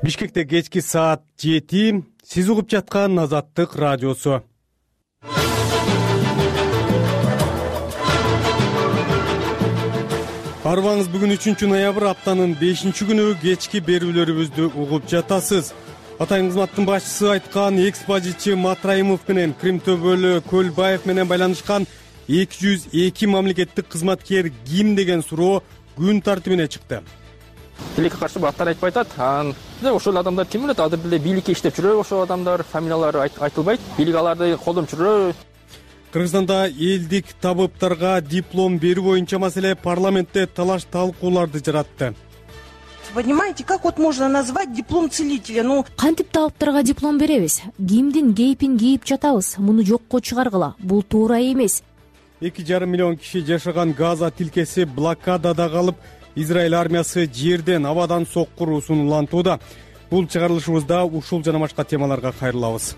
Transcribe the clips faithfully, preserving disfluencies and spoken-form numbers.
Бишкекте кечки саат жети. Сиз угуп жаткан Азаттык радиосу. Арбаңыз бүгүн үчүнчү ноябрь, аптанын бешинчи күнү кечки берүүлөрүбүздү угуп жатасыз. Атайын кызматтын башчысы айткан экспозитчи Матраимов менен Кримтөбөлү Көлбаев менен байланышкан эки жүз эки мамлекеттик кызматкер ким деген суроо күн тартибине чыкты. Бийликке каршы баттар айтпай атат. Анан ошол адамдар ким билет? Азыр деле бийликке иштеп жүрөбү ошол адамдар, фамилиялары айтылбайт. Бийлик аларды колдонуп жүрөбү? Кыргызстанда элдик табыптарга диплом берүү боюнча маселе парламентте талаш талкууларды жаратты. Понимаете, как вот можно назвать диплом целителя? Ну, кантип табыптарга диплом беребиз? Кимдин кейпин кийип жатабыз? Муну жокко чыгаргыла. Бул туура эмес. эки жарым миллион киши жашаган Газа тилкеси блокадада калып, Израиль армиясы жерден, абадан соккуруусун улантууда. Бул чыгарылышыбызда ушул жана башка темаларга кайрылабыз.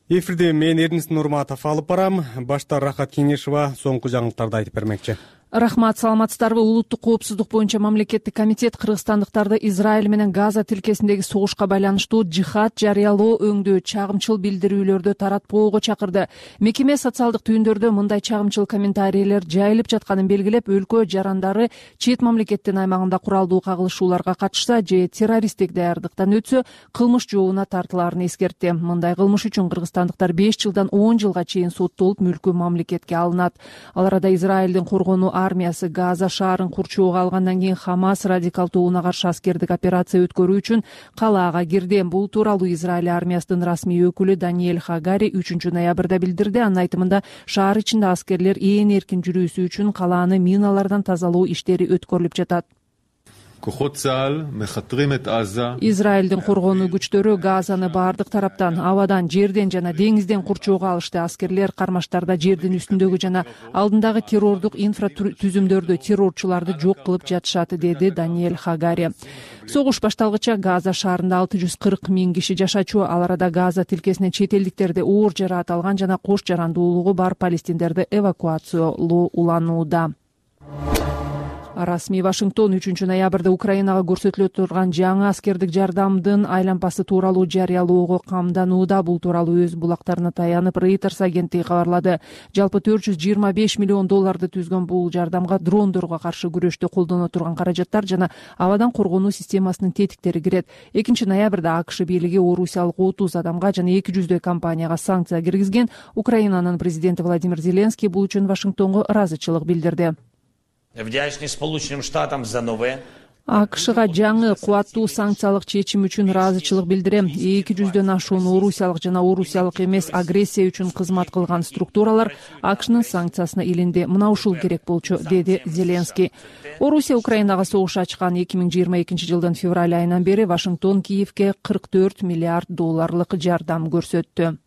Эфирде мен Эрнис Нурматов алып барам. Башта Рахат Кеңешова соңку жаңылыктарды айтып бермекчи. Рахмат, саламатсыздарбы? Улуттук коопсуздук боюнча мамлекеттик комитет кыргызстандыктарды Израиль менен Газа тилкесиндеги согушка байланыштуу жихад жарыялоо өңдүү чагымчыл билдирүүлөрдү таратпоого чакырды. Мекеме социалдык түйүндөрдө мындай чагымчыл комментарийлер жайылып жатканын белгилеп, өлкө жарандары чет мамлекеттин аймагында куралдуу кагылышууларга катышса же террористтик даярдыктан өтсө кылмыш жообуна тартылаарын эскертти. Мындай кылмыш үчүн кыргызстандыктар беш жылдан он жылга чейин соттолуп, мүлкү мамлекетке алынат. Ал арада Израилдин коргонуу армиясы Газа шаарын курчоого алгандан кийин Хамас радикал тобуна каршы аскердик операция өткөрүү үчүн калаага кирди. Бул тууралуу Израиль армиясынын расмий өкүлү Даниэль Хагари үчүнчү ноябрда билдирди. Анын айтымында шаар ичинде аскерлер ээн эркин жүрүүсү үчүн калааны миналардан тазалоо иштери өткөрүлүп жатат. Израилдин коргонуу күчтөрү Газаны баардык тараптан, абадан, жерден жана деңизден курчоого алышты. Аскерлер кармаштарда жердин үстүндөгү жана алдындагы террордук инфратүзүмдөрдү, террорчуларды жок кылып жатышат, деди Даниэль Хагари. Согуш башталгыча Газа шаарында алты жүз кырк миң киши жашачу. Ал арада Газа тилкесинен чет элдиктерди оор жараат алган жана кош жарандуулугу бар палестиндерди эвакуациялоо уланууда. Расмий Вашингтон үчүнчү ноябрда Украинага көрсөтүлө турган жаңы аскердик жардамдын айлампасы тууралуу жарыялоого камданууда. Бул тууралуу өз булактарына таянып Reuters агенттиги кабарлады. Жалпы төрт жүз жыйырма беш миллион долларды түзгөн бул жардамга дрондорго каршы күрөштө колдоно турган каражаттар жана абадан коргонуу системасынын тетиктери кирет. экинчи ноябрда АКШ бийлиги орусиялык отуз адамга жана эки жүздөй компанияга санкция киргизген. Украинанын президенти Владимир Зеленский бул үчүн Вашингтонго ыраазычылык билдирди. Вдячный Сполученным Штатам за новое. АКШга жаңы кубаттуу санкциялык чечим үчүн ыраазычылык билдирем. эки жүздөн ашуун орусиялык жана орусиялык эмес агрессия үчүн кызмат кылган структуралар АКШнын санкциясына илинди. Мына ушул керек болчу, деди Зеленский. Орусия Украинага согуш ачкан эки миң жыйырма экинчи жылдын февраль айынан бери Вашингтон Киевке кырк төрт миллиард долларлык жардам көрсөттү.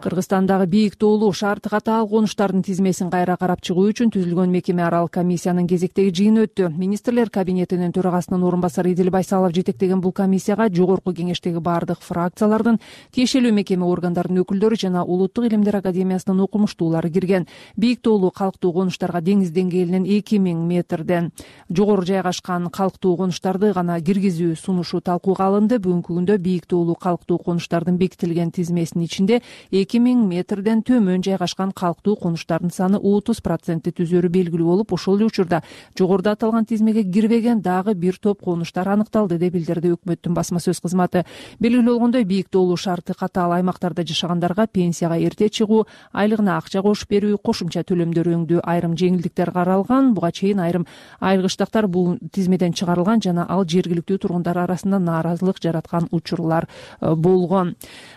Кыргызстандагы бийик тоолуу шарты катаал конуштардын тизмесин кайра карап чыгуу үчүн түзүлгөн мекеме аралык комиссиянын кезектеги жыйыны өттү. Министрлер кабинетинин төрагасынын орун басары Идил Байсалов жетектеген бул комиссияга жогорку кеңештеги бардык фракциялардын, тиешелүү мекеме органдарынын өкүлдөрү жана Улуттук илимдер академиясынын окумуштуулары кирген. Бийик тоолуу калктуу конуштарга деңиз деңгээлинен эки миң метрден жогору жайгашкан калктуу конуштарды гана киргизүү сунушу талкууга алынды. Бүгүнкү күндө бийик тоолуу калктуу конуштардын бекитилген тизмесинин ичинде эки миң метрден төмөн жайгашкан калктуу конуштардын саны отуз процентти түзөрү белгилүү болуп, ошол эле учурда жогоруда аталган тизмеге кирбеген дагы бир топ конуштар аныкталды, деп билдирди өкмөттүн басма сөз кызматы. Белгилүү болгондой, бийик тоолуу шарты катаал аймактарда жашагандарга пенсияга эрте чыгуу, айлыгына акча кошуп берүү, кошумча төлөмдөр өңдүү айрым жеңилдиктер каралган. Буга чейин айрым айргычтактар бул тизмеден чыгарылган жана ал жергиликтүү тургундар арасында нааразылык жараткан учурлар болгон.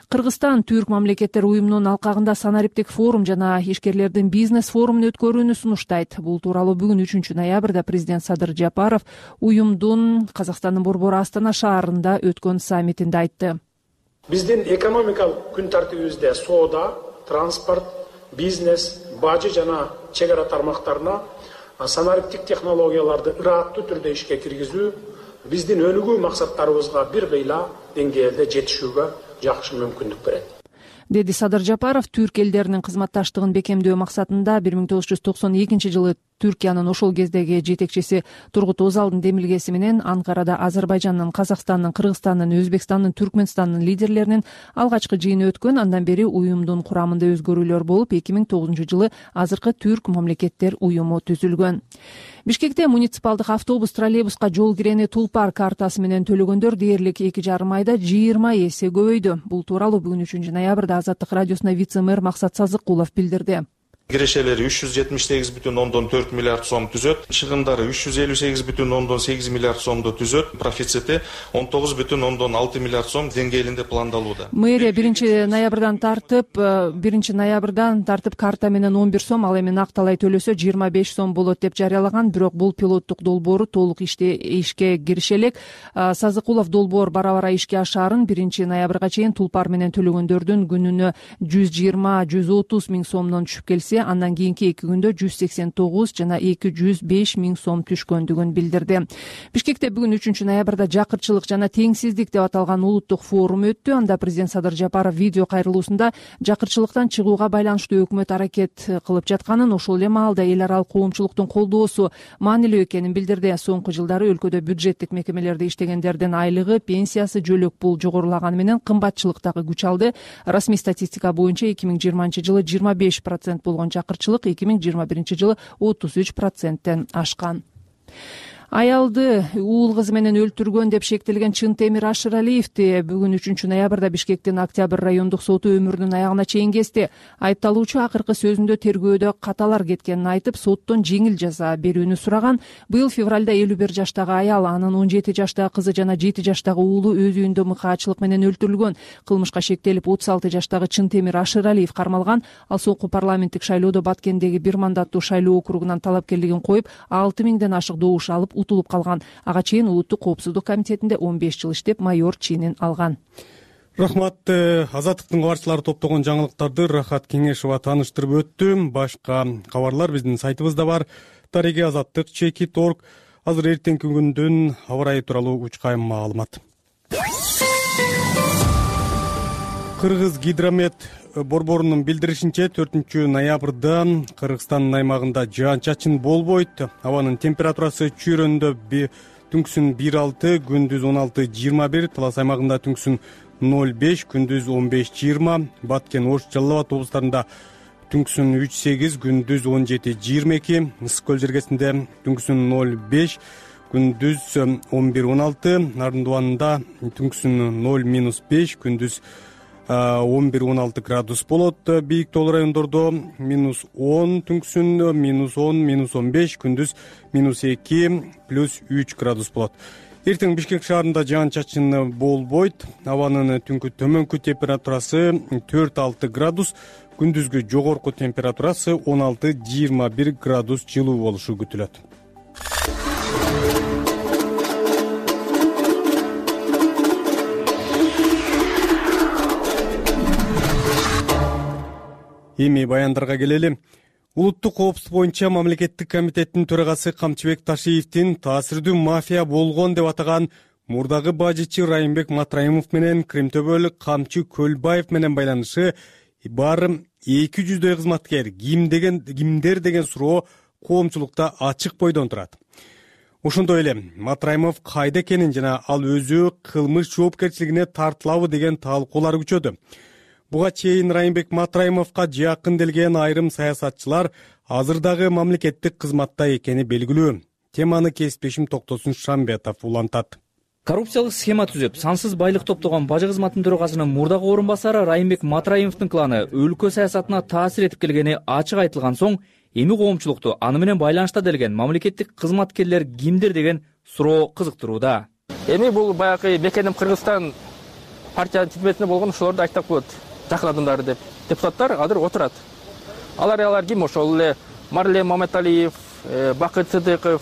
Кыргызстан Түрк мамлекеттер уюмунун алкагында санариптик форум жана ишкерлердин бизнес форумун өткөрүүнү сунуштайт. Бул тууралуу бүгүн үчүнчү ноябрда президент Садыр Жапаров уюмдун Казакстандын борбору Астана шаарында өткөн саммитинде айтты. Биздин экономикалык күн тартибибизде соода, транспорт, бизнес, бажы жана чек ара тармактарына санариптик технологияларды ыраттуу түрдө ишке киргизүү биздин өнүгүү максаттарыбызга бир кыйла деңгээлде жетишүүгө жакшы мүмкүндүк берет, деди Садыр Жапаров. Түрк элдеринин кызматташтыгын бекемдөө максатында бир миң тогуз жүз токсон экинчи жылы Түркиянын ошол кездеги жетекчиси Тургут Озалдын демилгеси менен Анкарада Азербайжандын, Казакстандын, Кыргызстандын, Өзбекстандын, Түркмөнстандын лидерлеринин алгачкы жыйыны өткөн. Андан бери уюмдун курамында өзгөрүүлөр болуп, эки миң тогузунчу жылы азыркы Түрк мамлекеттер уюму түзүлгөн. Бишкекте муниципалдык автобус, троллейбуска жол кирени Тулпар картасы менен төлөгөндөр дээрлик эки жарым айда жыйырма эсе көбөйдү. Бул тууралуу бүгүн үчүнчү ноябрда Азаттык радиосуна вице-мэр Максат Сазыкулов билдирди. Кирешелери үч жүз жетимиш сегиз бүтүн ондон төрт миллиард сом түзөт. Чыгымдары үч жүз элүү сегиз бүтүн ондон сегиз миллиард сомду түзөт. Профицити он тогуз бүтүн ондон алты миллиард сом деңгээлинде пландалууда. Мэрия биринчи ноябрдан тартып, биринчи ноябрдан тартып карта менен он бир сом, ал эми накталай төлөсө жыйырма беш сом болот деп жарыялаган. Бирок бул пилоттук долбоору толук иште ишке кириши элек. Сазыкулов долбоор бара-бара ишке ашаарын биринчи ноябрга чейин Тулпар менен төлөгөндөрдүн күнүнө жүз жыйырма жүз отуз миң сомдон түшүп келсе, андан кийинки эки күндө жүз сексен тогуз жана эки жүз беш миң сом түшкөндүгүн билдирди. Бишкекте бүгүн үчүнчү ноябрда жакырчылык жана теңсиздик деп аталган улуттук форум өттү. Анда президент Садыр Жапаров видео кайрылуусунда жакырчылыктан чыгууга байланыштуу өкмөт аракет кылып жатканын, ошол эле маалда эл аралык коомчулуктун колдоосу маанилүү экенин билдирди. Соңку жылдары өлкөдө бюджеттик мекемелерде иштегендердин айлыгы, пенсиясы, жөлөк пул жогорулаганы менен кымбатчылык дагы күч алды. Расмий статистика боюнча эки миң жыйырманчы жылы жыйырма беш процент болгон жакырчылык эки миң жыйырма биринчи жылы отуз үч проценттен ашкан. Аялды уул кызы менен өлтүргөн деп шектелген Чынтемир Ашыралиевди бүгүн үчүнчү ноябрда Бишкектин Октябрь райондук соту өмүрүнүн аягына чейин кести. Айыпталуучу акыркы сөзүндө тергөөдө каталар кеткенин айтып, соттон жеңил жаза берүүнү сураган. Быйыл февралда элүү бир жаштагы аял, анын он жети жаштагы кызы жана жети жаштагы уулу өз үйүндө мыкаачылык менен өлтүрүлгөн. Кылмышка шектелип отуз алты жаштагы Чынтемир Ашыралиев кармалган. Ал соңку парламенттик шайлоодо Баткендеги бир мандаттуу шайлоо округунан талапкерлигин коюп, алты миңден ашык добуш алып утулуп калган. Ага чейин улуттук коопсуздук комитетинде он беш жыл иштеп, майор ченин алган. Рахмат. Азаттыктын кабарчылары топтогон жаңылыктарды Рахат Кеңешова тааныштырып өттү. Башка кабарлар биздин сайтыбызда бар. Тариги азаттык чекит точка орг. Азыр эртеңки күндүн аба ырайы тууралуу учкайым маалымат. Кыргыз гидромет борборунун билдиришинче төртүнчү ноябрда Кыргызстандын аймагында жаан-чачын болбойт. Абанын температурасы чүйрөндө түнкүсүн бир алты, күндүз он алты жыйырма бир, Талас аймагында түнкүсүн ноль беш, күндүз он беш жыйырма, Баткен, Ош, Жалал Абад облустарында түнкүсүн үч сегиз, күндүз он жети жыйырма эки, Ысык көл жергесинде түнкүсүн ноль беш, күндүз он бир он алты, Нарын дубанында түнкүсүн ноль минус беш, күндүз он бир он алты градус болот. Бийик тоол райондордо минус он, түнкүсүн минус он, минус он беш, күндүз минус эки, плюс үч градус болот. Эртең Бишкек шаарында жаан-чачын болбойт. Абанын түнкү төмөнкү температурасы төрт алты градус, күндүзгү жогорку температурасы он алты жыйырма бир градус жылуу болушу күтүлөт. Эми баяндарга келели. Улуттук коопсуздук боюнча мамлекеттик комитеттин төрагасы Камчыбек Ташиевдин таасирдүү мафия болгон деп атаган мурдагы бажычы Райымбек Матраимов менен Кримтөбөлүк Камчы Көлбаев менен байланышы баары эки жүздөй кызматкер ким деген кимдер деген суроо коомчулукта ачык бойдон турат. Ошондой эле Матраимов кайда экенин жана ал өзү кылмыш жоопкерчилигине тартылабы деген талкуулар күчөдү. Буга чейин Райымбек Матраимовго жакын келген айрым саясатчылар азыр дагы мамлекеттик кызматта экени белгилүү. Теманы кесиптешим Токтосун Шамбетов улантат. Коррупциялык схема түзүп, сансыз байлык топтогон бажы кызматтын төрагасынын мурдагы орун басары Райымбек Матраимовдун кланы өлкө саясатына таасир этип келгени ачык айтылган соң, эми коомчулукту аны менен байланышта делген мамлекеттик кызматкерлер кимдир деген суроо кызыктырууда. Эми бул баягы Бекеним Кыргызстан партиянын тизмесинде болгон ошолорду айтсак болот. Жакын адамдары деп депутаттар азыр отурат. Алар алар ким? Ошол эле Марлен Маматалиев, Бакыт Сыдыков,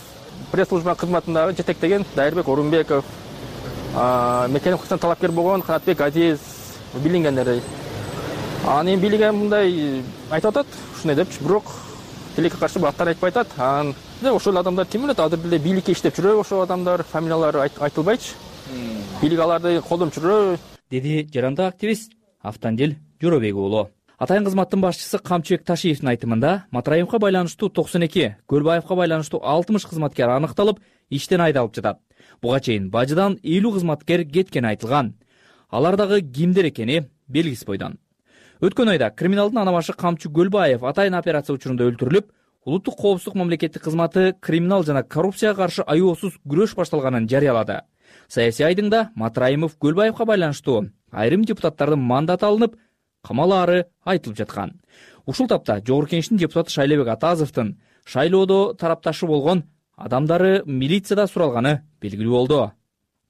пресс-служба кызматындагы жетектеген Дайырбек Орунбеков, Мекеним Кыргызстан талапкер болгон Канатбек Азиз билингендер. Анын билген мындай айтып атат, ушундай депчи, бирок тилекке каршы баттар айтпай атат. Анан ошол адамдар ким билет, азыр деле бийликке иштеп жүрөбү ошол адамдар, фамилиялары айтылбайчы. Бийлик аларды колдонуп жүрөбү, деди жарандык активист Автандил Жорабек уулу. Атайын кызматтын башчысы Камчыбек Ташиевдин айтымында Матраимовго байланыштуу токсон эки, Көлбаевга байланыштуу алтымыш кызматкер аныкталып, иштен айдалып жатат. Буга чейин бажыдан элүү кызматкер кеткени айтылган. Алар дагы кимдер экени белгисиз бойдон. Өткөн айда криминалдын ана башы Камчы Көлбаев атайын операция учурунда өлтүрүлүп, улуттук коопсуздук мамлекеттик кызматы криминал жана коррупцияга каршы аеосуз күрөш башталганын жарыялады. Саясий айдыңда Матраимов Көлбаевга байланыштуу айрым депутаттардын мандаты алынып, камалаары айтылып жаткан. Ушул тапта Жогорку Кеңештин депутаты Шайлебек Атазовдун шайлоодо тарапташы болгон адамдары милицияда суралганы белгилүү болду.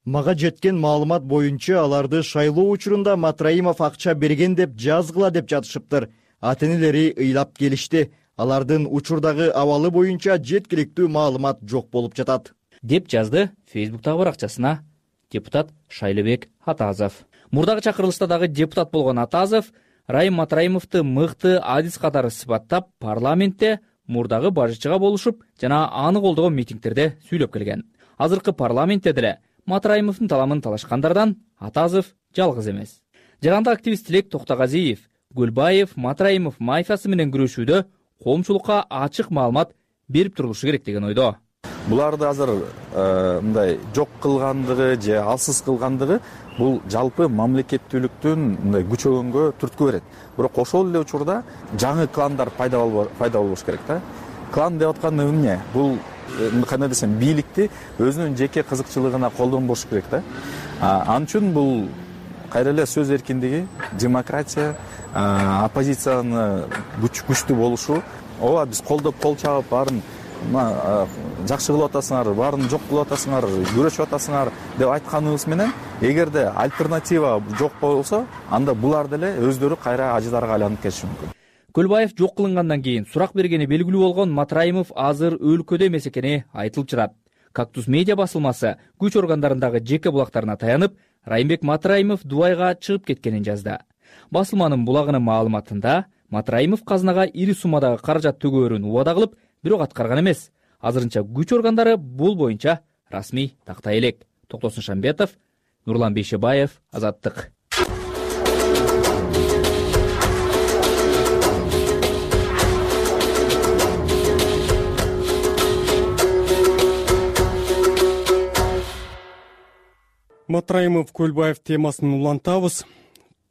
Мага жеткен маалымат боюнча аларды шайлоо учурунда Матраимов акча берген деп жазгыла деп жатышыптыр. Ата-энелери ыйлап келишти. Алардын учурдагы абалы боюнча жеткиликтүү маалымат жок болуп жатат, деп жазды Фейсбуктагы баракчасына депутат Шайлебек Атазов. Мурдагы чакырылышта дагы депутат болгон Атазов Райым Матраимовду мыкты адис катары сыпаттап, парламентте мурдагы бажычыга болушуп жана аны колдогон митингдерде сүйлөп келген. Азыркы парламентте деле Матраимовдун таламын талашкандардан Атазов жалгыз эмес. Жаранда активист Тилек Токтогазиев Көлбаев Матраимов мафиясы менен күрөшүүдө коомчулукка ачык маалымат берип турулушу керек деген ойдо. Буларды азыр мындай жок кылгандыгы же алсыз кылгандыгы бул жалпы мамлекеттүүлүктүн мындай күчөгөнгө түрткү берет. Бирок ошол эле учурда жаңы кландар пайда болуш керек да. Клан деп аткан эмне? Бул кандай десем, бийликти өзүнүн жеке кызыкчылыгына колдонбош керек да. Ал үчүн бул кайра эле сөз эркиндиги, демократия, оппозицияны күчтүү болушу, ооба биз колдоп кол чабып баарын жакшы кылып атасыңар, баарын жок кылып атасыңар, күрөшүп атасыңар деп айтканыбыз менен, эгерде альтернатива жок болсо, анда булар деле өздөрү кайра ажыдарга айланып кетиши мүмкүн. Көлбаев жок кылынгандан кийин сурак бергени белгилүү болгон Матраимов азыр өлкөдө эмес экени айтылып жатат. Кактус медиа басылмасы күч органдарындагы жеке булактарына таянып, Райымбек Матраимов Дубайга чыгып кеткенин жазды. Басылманын булагынын маалыматында Матраимов казынага ири суммадагы каражат төгөөрүн убада кылып, бирок аткарган эмес. Азырынча күч органдары бул боюнча расмий тактай элек. Токтосун Шамбетов, Нурлан Бейшебаев, Азаттык. Матраимов Көлбаев темасын улантабыз.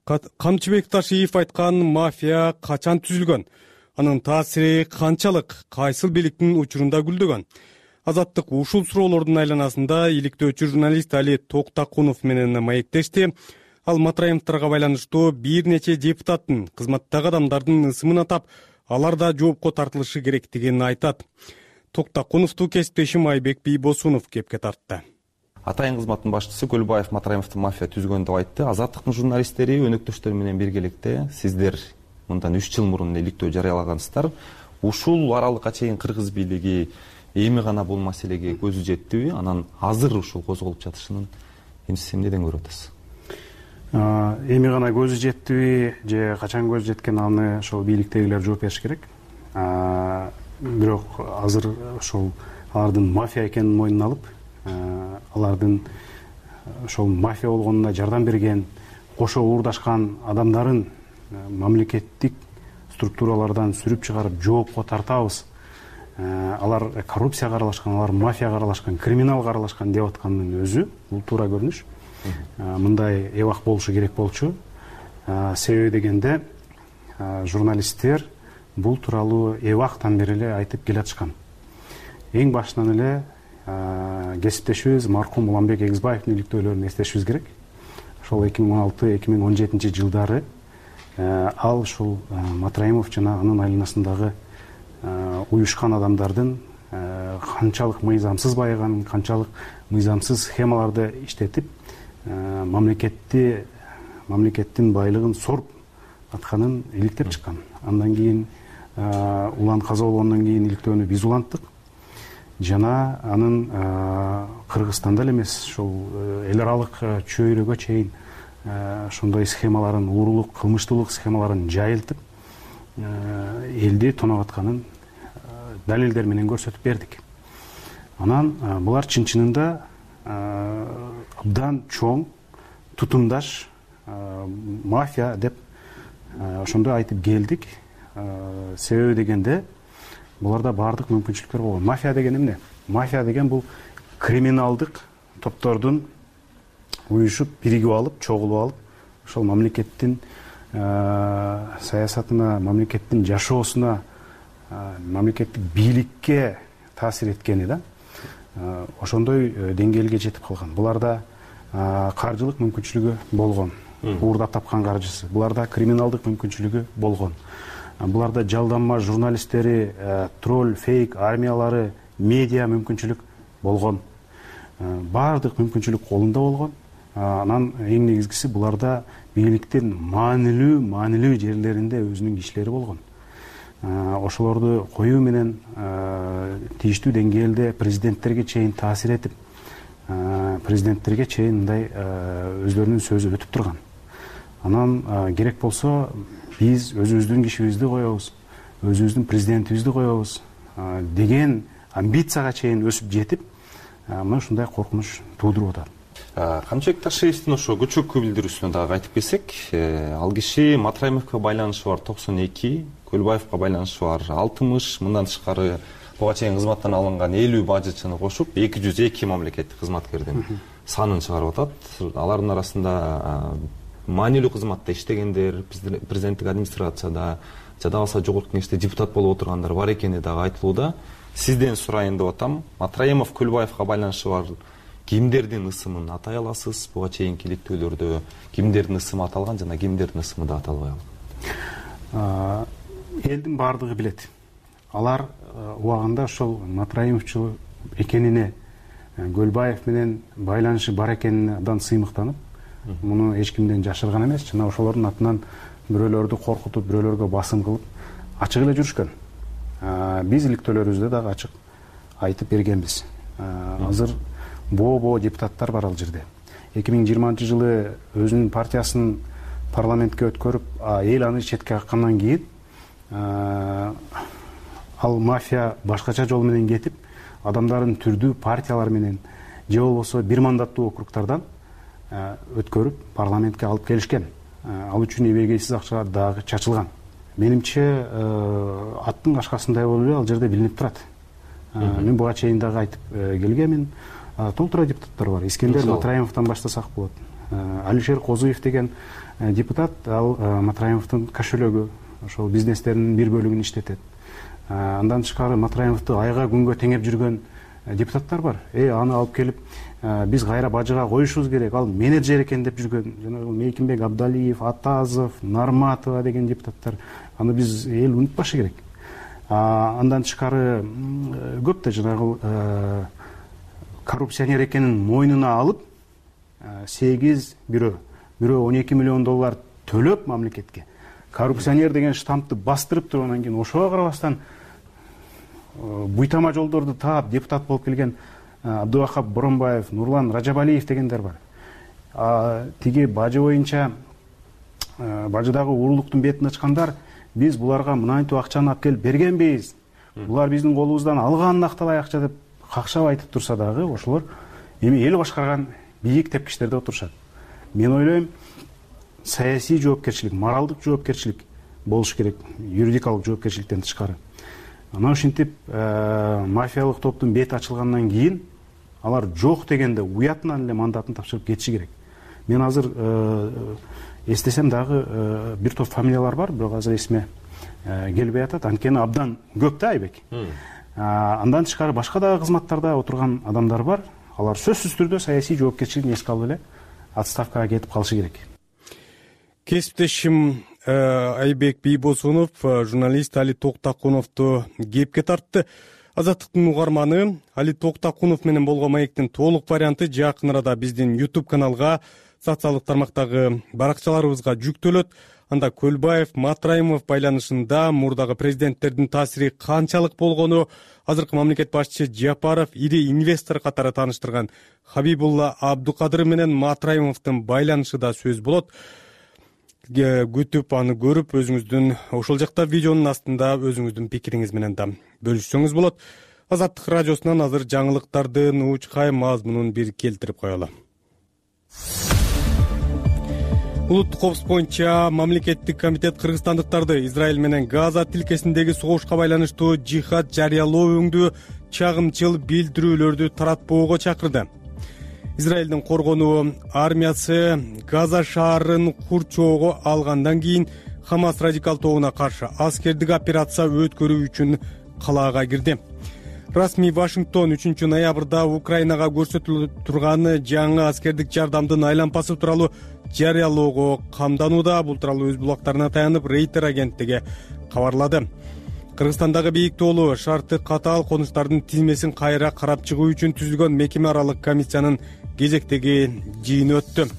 Камчыбек Ташиев айткан мафия качан түзүлгөн? Анын таасири канчалык? Кайсыл бийликтин учурунда гүлдөгөн? Азаттык ушул суроолордун айланасында иликтөөчү журналист Али Токтакунов менен маектешти. Ал Матраимовдорго байланыштуу бир нече депутаттын кызматтагы адамдардын ысымын атап, алар да жоопко тартылышы керектигин айтат. Токтакуновду кесиптешим Айбек Бийбосунов кепке тартты. Атайын кызматтын башчысы Көлбаев Матраимовду мафия түзгөн деп айтты. Азаттыктын журналисттери өнөктөштөр менен биргеликте сиздер мындан үч жыл мурун иликтөө жарыялагансыздар. Ушул аралыкка чейин кыргыз бийлиги эми гана бул маселеге көзү жеттиби? Анан азыр ушул козголуп жатышынын сиз эмнеден көрүп атасыз? Эми гана көзү жеттиби же качан көзү жеткен, аны ошол бийликтегилер жооп бериш керек. Бирок азыр ошол алардын мафия экенин мойнуна алып, алардын ошол мафия болгонуна жардам берген, кошо уурдашкан адамдарын мамлекеттик структуралардан сүрүп чыгарып жоопко тартабыз. Алар коррупцияга аралашкан, алар мафияга аралашкан, криминалга аралашкан деп аткандын өзү бул туура көрүнүш. Мындай эбак болушу керек болчу. Себеби дегенде журналисттер бул тууралуу эбактан бери эле айтып келатышкан. Эң башынан эле кесиптешибиз маркум Уланбек Эгизбаевдин иликтөөлөрүн эстешибиз керек. Ошол эки миң он алты эки миң он жетинчи жылдары ал ушул Матраимов жана анын айланасындагы уюшкан адамдардын канчалык мыйзамсыз байыганын, канчалык мыйзамсыз схемаларды иштетип, мамлекетти мамлекеттин байлыгын соруп атканын иликтеп чыккан. Андан кийин улан каза болгондон кийин иликтөөнү биз уланттык. Жана анын Кыргызстанда эле эмес, ошол эл аралык чөйрөгө чейин ошондой схемаларын, уурулук, кылмыштуулук схемаларын жайылтып, элди тонап атканын далилдер менен көрсөтүп бердик. Анан булар чын-чынында абдан чоң, тутумдаш мафия деп ошондой айтып келдик. Себеби дегенде буларда баардык мүмкүнчүлүктөр болгон. Мафия деген эмне? Мафия деген бул криминалдык топтордун уюшуп, биригип алып, чогулуп алып, ошол мамлекеттин саясатына, мамлекеттин жашоосуна, мамлекеттик бийликке таасир эткени да. Ошондой деңгээлге жетип калган. Буларда каржылык мүмкүнчүлүгү болгон, уурдап тапкан каржысы. Буларда криминалдык мүмкүнчүлүгү болгон. Буларда жалданма журналисттери, тролль, фейк армиялары, медиа мүмкүнчүлүк болгон. Баардык мүмкүнчүлүк колунда болгон. Анан эң негизгиси буларда бийликтин маанилүү, маанилүү жерлеринде өзүнүн кишилери болгон. Ошолорду коюу менен тийиштүү деңгээлде президенттерге чейин таасир этип, президенттерге чейин мындай өзлөрүнүн сөзү өтүп турган. Анан керек болсо биз өзүбүздүн кишибизди коебуз, өзүбүздүн президентибизди коебуз деген амбицияга чейин өсүп жетип, мына ушундай коркунуч туудуруп атат. Камчыбек Ташиевдин ошо көчөккө билдирүүсүнө дагы кайтып келсек, ал киши Матраимовго байланышы бар токсон эки, Көлбаевга байланышы бар алтымыш, мындан тышкары буга чейин кызматтан алынган элүү бажычыны кошуп эки жүз эки мамлекеттик кызматкердин санын чыгарып атат. Алардын арасында маанилүү кызматта иштегендер, президенттик администрацияда, жада болбосо жогорку кеңеште депутат болуп отургандар бар экени дагы айтылууда. Сизден сурайын деп атам. Матраимов, Көлбаевга байланышы бар кимдердин ысымын атай аласыз? Буга чейинки иликтөөлөрдө кимдердин ысымы аталган жана кимдердин ысымы да аталбай калган? Элдин баардыгы билет. Алар убагында ошол Матраимовчу экенине, Көлбаев менен байланышы бар экенине абдан сыймыктанып, муну эч кимден жашырган эмес, жана ошолордун атынан бирөөлөрдү коркутуп, бирөөлөргө басым кылып, ачык эле жүрүшкөн. Биз иликтөөлөрүбүздө дагы ачык айтып бергенбиз. Азыр боо-боо депутаттар бар ал жерде. эки миң жыйырманчы жылы өзүнүн партиясын парламентке өткөрүп, эл аны четке каккандан кийин ал мафия башкача жол менен кетип, адамдарын түрдүү партиялар менен же болбосо бир мандаттуу округтардан өткөрүп парламентке алып келишкен. Ал үчүн эбегейсиз акча дагы чачылган. Менимче аттын кашкасындай болуп эле ал жерде билинип турат. Мен буга чейин дагы айтып келгенмин. Толтура депутаттар бар. Искендер Матраимовдон баштасак болот. Алишер Козуев деген депутат, ал Матраимовдун кошелөгү, ошол бизнестеринин бир бөлүгүн иштетет. Андан тышкары Матраимовду айга күнгө теңеп жүргөн депутаттар бар. Э, аны алып келип, биз кайра бажыга коюшубуз керек, ал менеджер экен деп жүргөн жана Мейкимбек Абдалиев, Атазов, Нарматова деген депутаттар. Аны биз эл унутпашы керек. Андан тышкары көп да жанагы коррупционер экенин мойнуна алып, сегиз бирөө, бирөө он эки миллион доллар төлөп мамлекетке коррупционер деген штампты бастырып туруп, анан кийин ошого карабастан буйтама жолдорду таап депутат болуп келген Абдубакап Боронбаев, Нурлан Ражабалиев дегендер бар. Тиги бажы боюнча бажыдагы уурулуктун бетин ачкандар, биз буларга мынантип акчаны алып келип бергенбиз, булар биздин колубуздан алганын актабай акча деп какшап айтып турса дагы, ошолор эми эл башкарган бийик тепкичтерде отурушат. Мен ойлойм, саясий жоопкерчилик, моралдык жоопкерчилик болуш керек, юридикалык жоопкерчиликтен тышкары. Анан ушинтип мафиялык топтун бети ачылгандан кийин алар жок дегенде уятынан эле мандатын тапшырып кетиши керек. Мен азыр эстесем дагы бир топ фамилиялар бар, бирок азыр эсиме келбей атат. Анткени абдан көп да, Айбек. Андан тышкары башка дагы кызматтарда отурган адамдар бар. Алар сөзсүз түрдө саясий жоопкерчилигин эске алып эле отставкага кетип калышы керек. Кесиптешим Айбек Бийбосунов журналист Али Токтакуновду кепке тартты. Азаттыктын угарманы Али Токтакунов менен болгон маектин толук варианты жакын арада биздин YouTube каналга, социалдык тармактагы баракчаларыбызга жүктөлөт. Анда Көлбаев, Матраимов байланышында мурдагы президенттердин таасири канчалык болгону, азыркы мамлекет башчысы Жапаров ири инвестор катары тааныштырган Хабибулла Абдукадыр менен Матраимовдун байланышы да сөз болот. Күтүп аны көрүп, өзүңүздүн ошол жакта видеонун астында өзүңүздүн пикириңиз менен да бөлүшсөңүз болот. Азаттык радиосунан азыр жаңылыктардын уучкай мазмунун бир келтирип коелу. улуттук коопсуздук боюнча мамлекеттик комитет кыргызстандыктарды Израиль менен Газа тилкесиндеги согушка байланыштуу жихад жарыялоо өңдүү чагымчыл билдирүүлөрдү таратпоого чакырды. Израилдин коргонуу армиясы Газа шаарын курчоого алгандан кийин Хамас радикал тобуна каршы аскердик операция өткөрүү үчүн калаага кирди. Расмий Вашингтон үчүнчү ноябрда Украинага көрсөтүлүп турган жаңы аскердик жардамдын айлампасы тууралуу жарыялоого камданууда. Бул тууралуу өз булактарына таянып Рейтер агенттиги кабарлады. Кыргызстандагы бийик тоолуу шарты катаал конуштардын тизмесин кайра карап чыгуу үчүн түзүлгөн мекеме аралык комиссиянын кезектеги жыйыны өттү.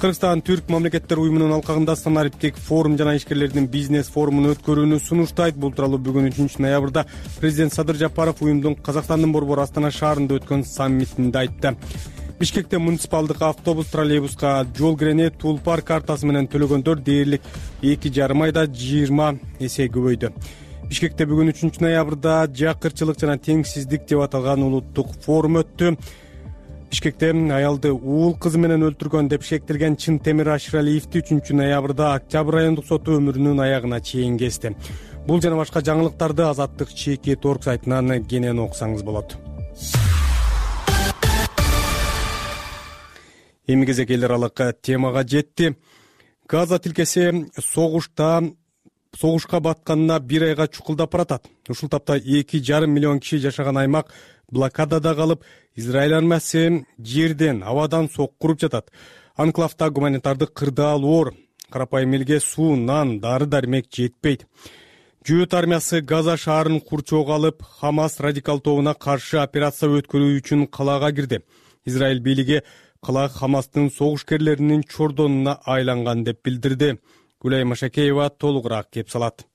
Кыргызстан Түрк мамлекеттер уюмунун алкагында санариптик форум жана ишкерлердин бизнес форумун өткөрүүнү сунуштайт. Бул тууралуу бүгүн үчүнчү ноябрда президент Садыр Жапаров уюмдун Казакстандын борбору Астана шаарында өткөн саммитинде айтты. Бишкекте муниципалдык автобус троллейбуска жол кирене Тулпар картасы менен төлөгөндөр дээрлик эки жарым айда жыйырма эсе көбөйдү. Бишкекте бүгүн үчүнчү ноябрда жакырчылык жана теңсиздик деп аталган улуттук форум өттү. Бишкекте аялды уул кызы менен өлтүргөн деп шектелген Чынтемир Ашыралиевди үчүнчү ноябрда Октябрь райондук соту өмүрүнүн аягына чейин кести. Бул жана башка жаңылыктарды Азаттык чекит орг сайтынан кенен окусаңыз болот. Эми кезек эл аралык темага жетти. Газа тилкеси согушта согушка батканына бир айга чукулдап баратат. Ушул тапта эки жарым миллион киши жашаган аймак блокадада калып, Израиль армиясы жерден, абадан сок куруп жатат. Анклавда гуманитардык кырдаал оор. Карапайым элге суу, нан, дары-дармек жетпейт. Жөөт армиясы Газа шаарын курчоого алып, Хамас радикал тобуна каршы операция өткөрүү үчүн калаага кирди. Израиль бийлиги кала Хамастын согушкерлеринин чордонуна айланган деп билдирди. Гүлай Машакеева толугураак кеп салат.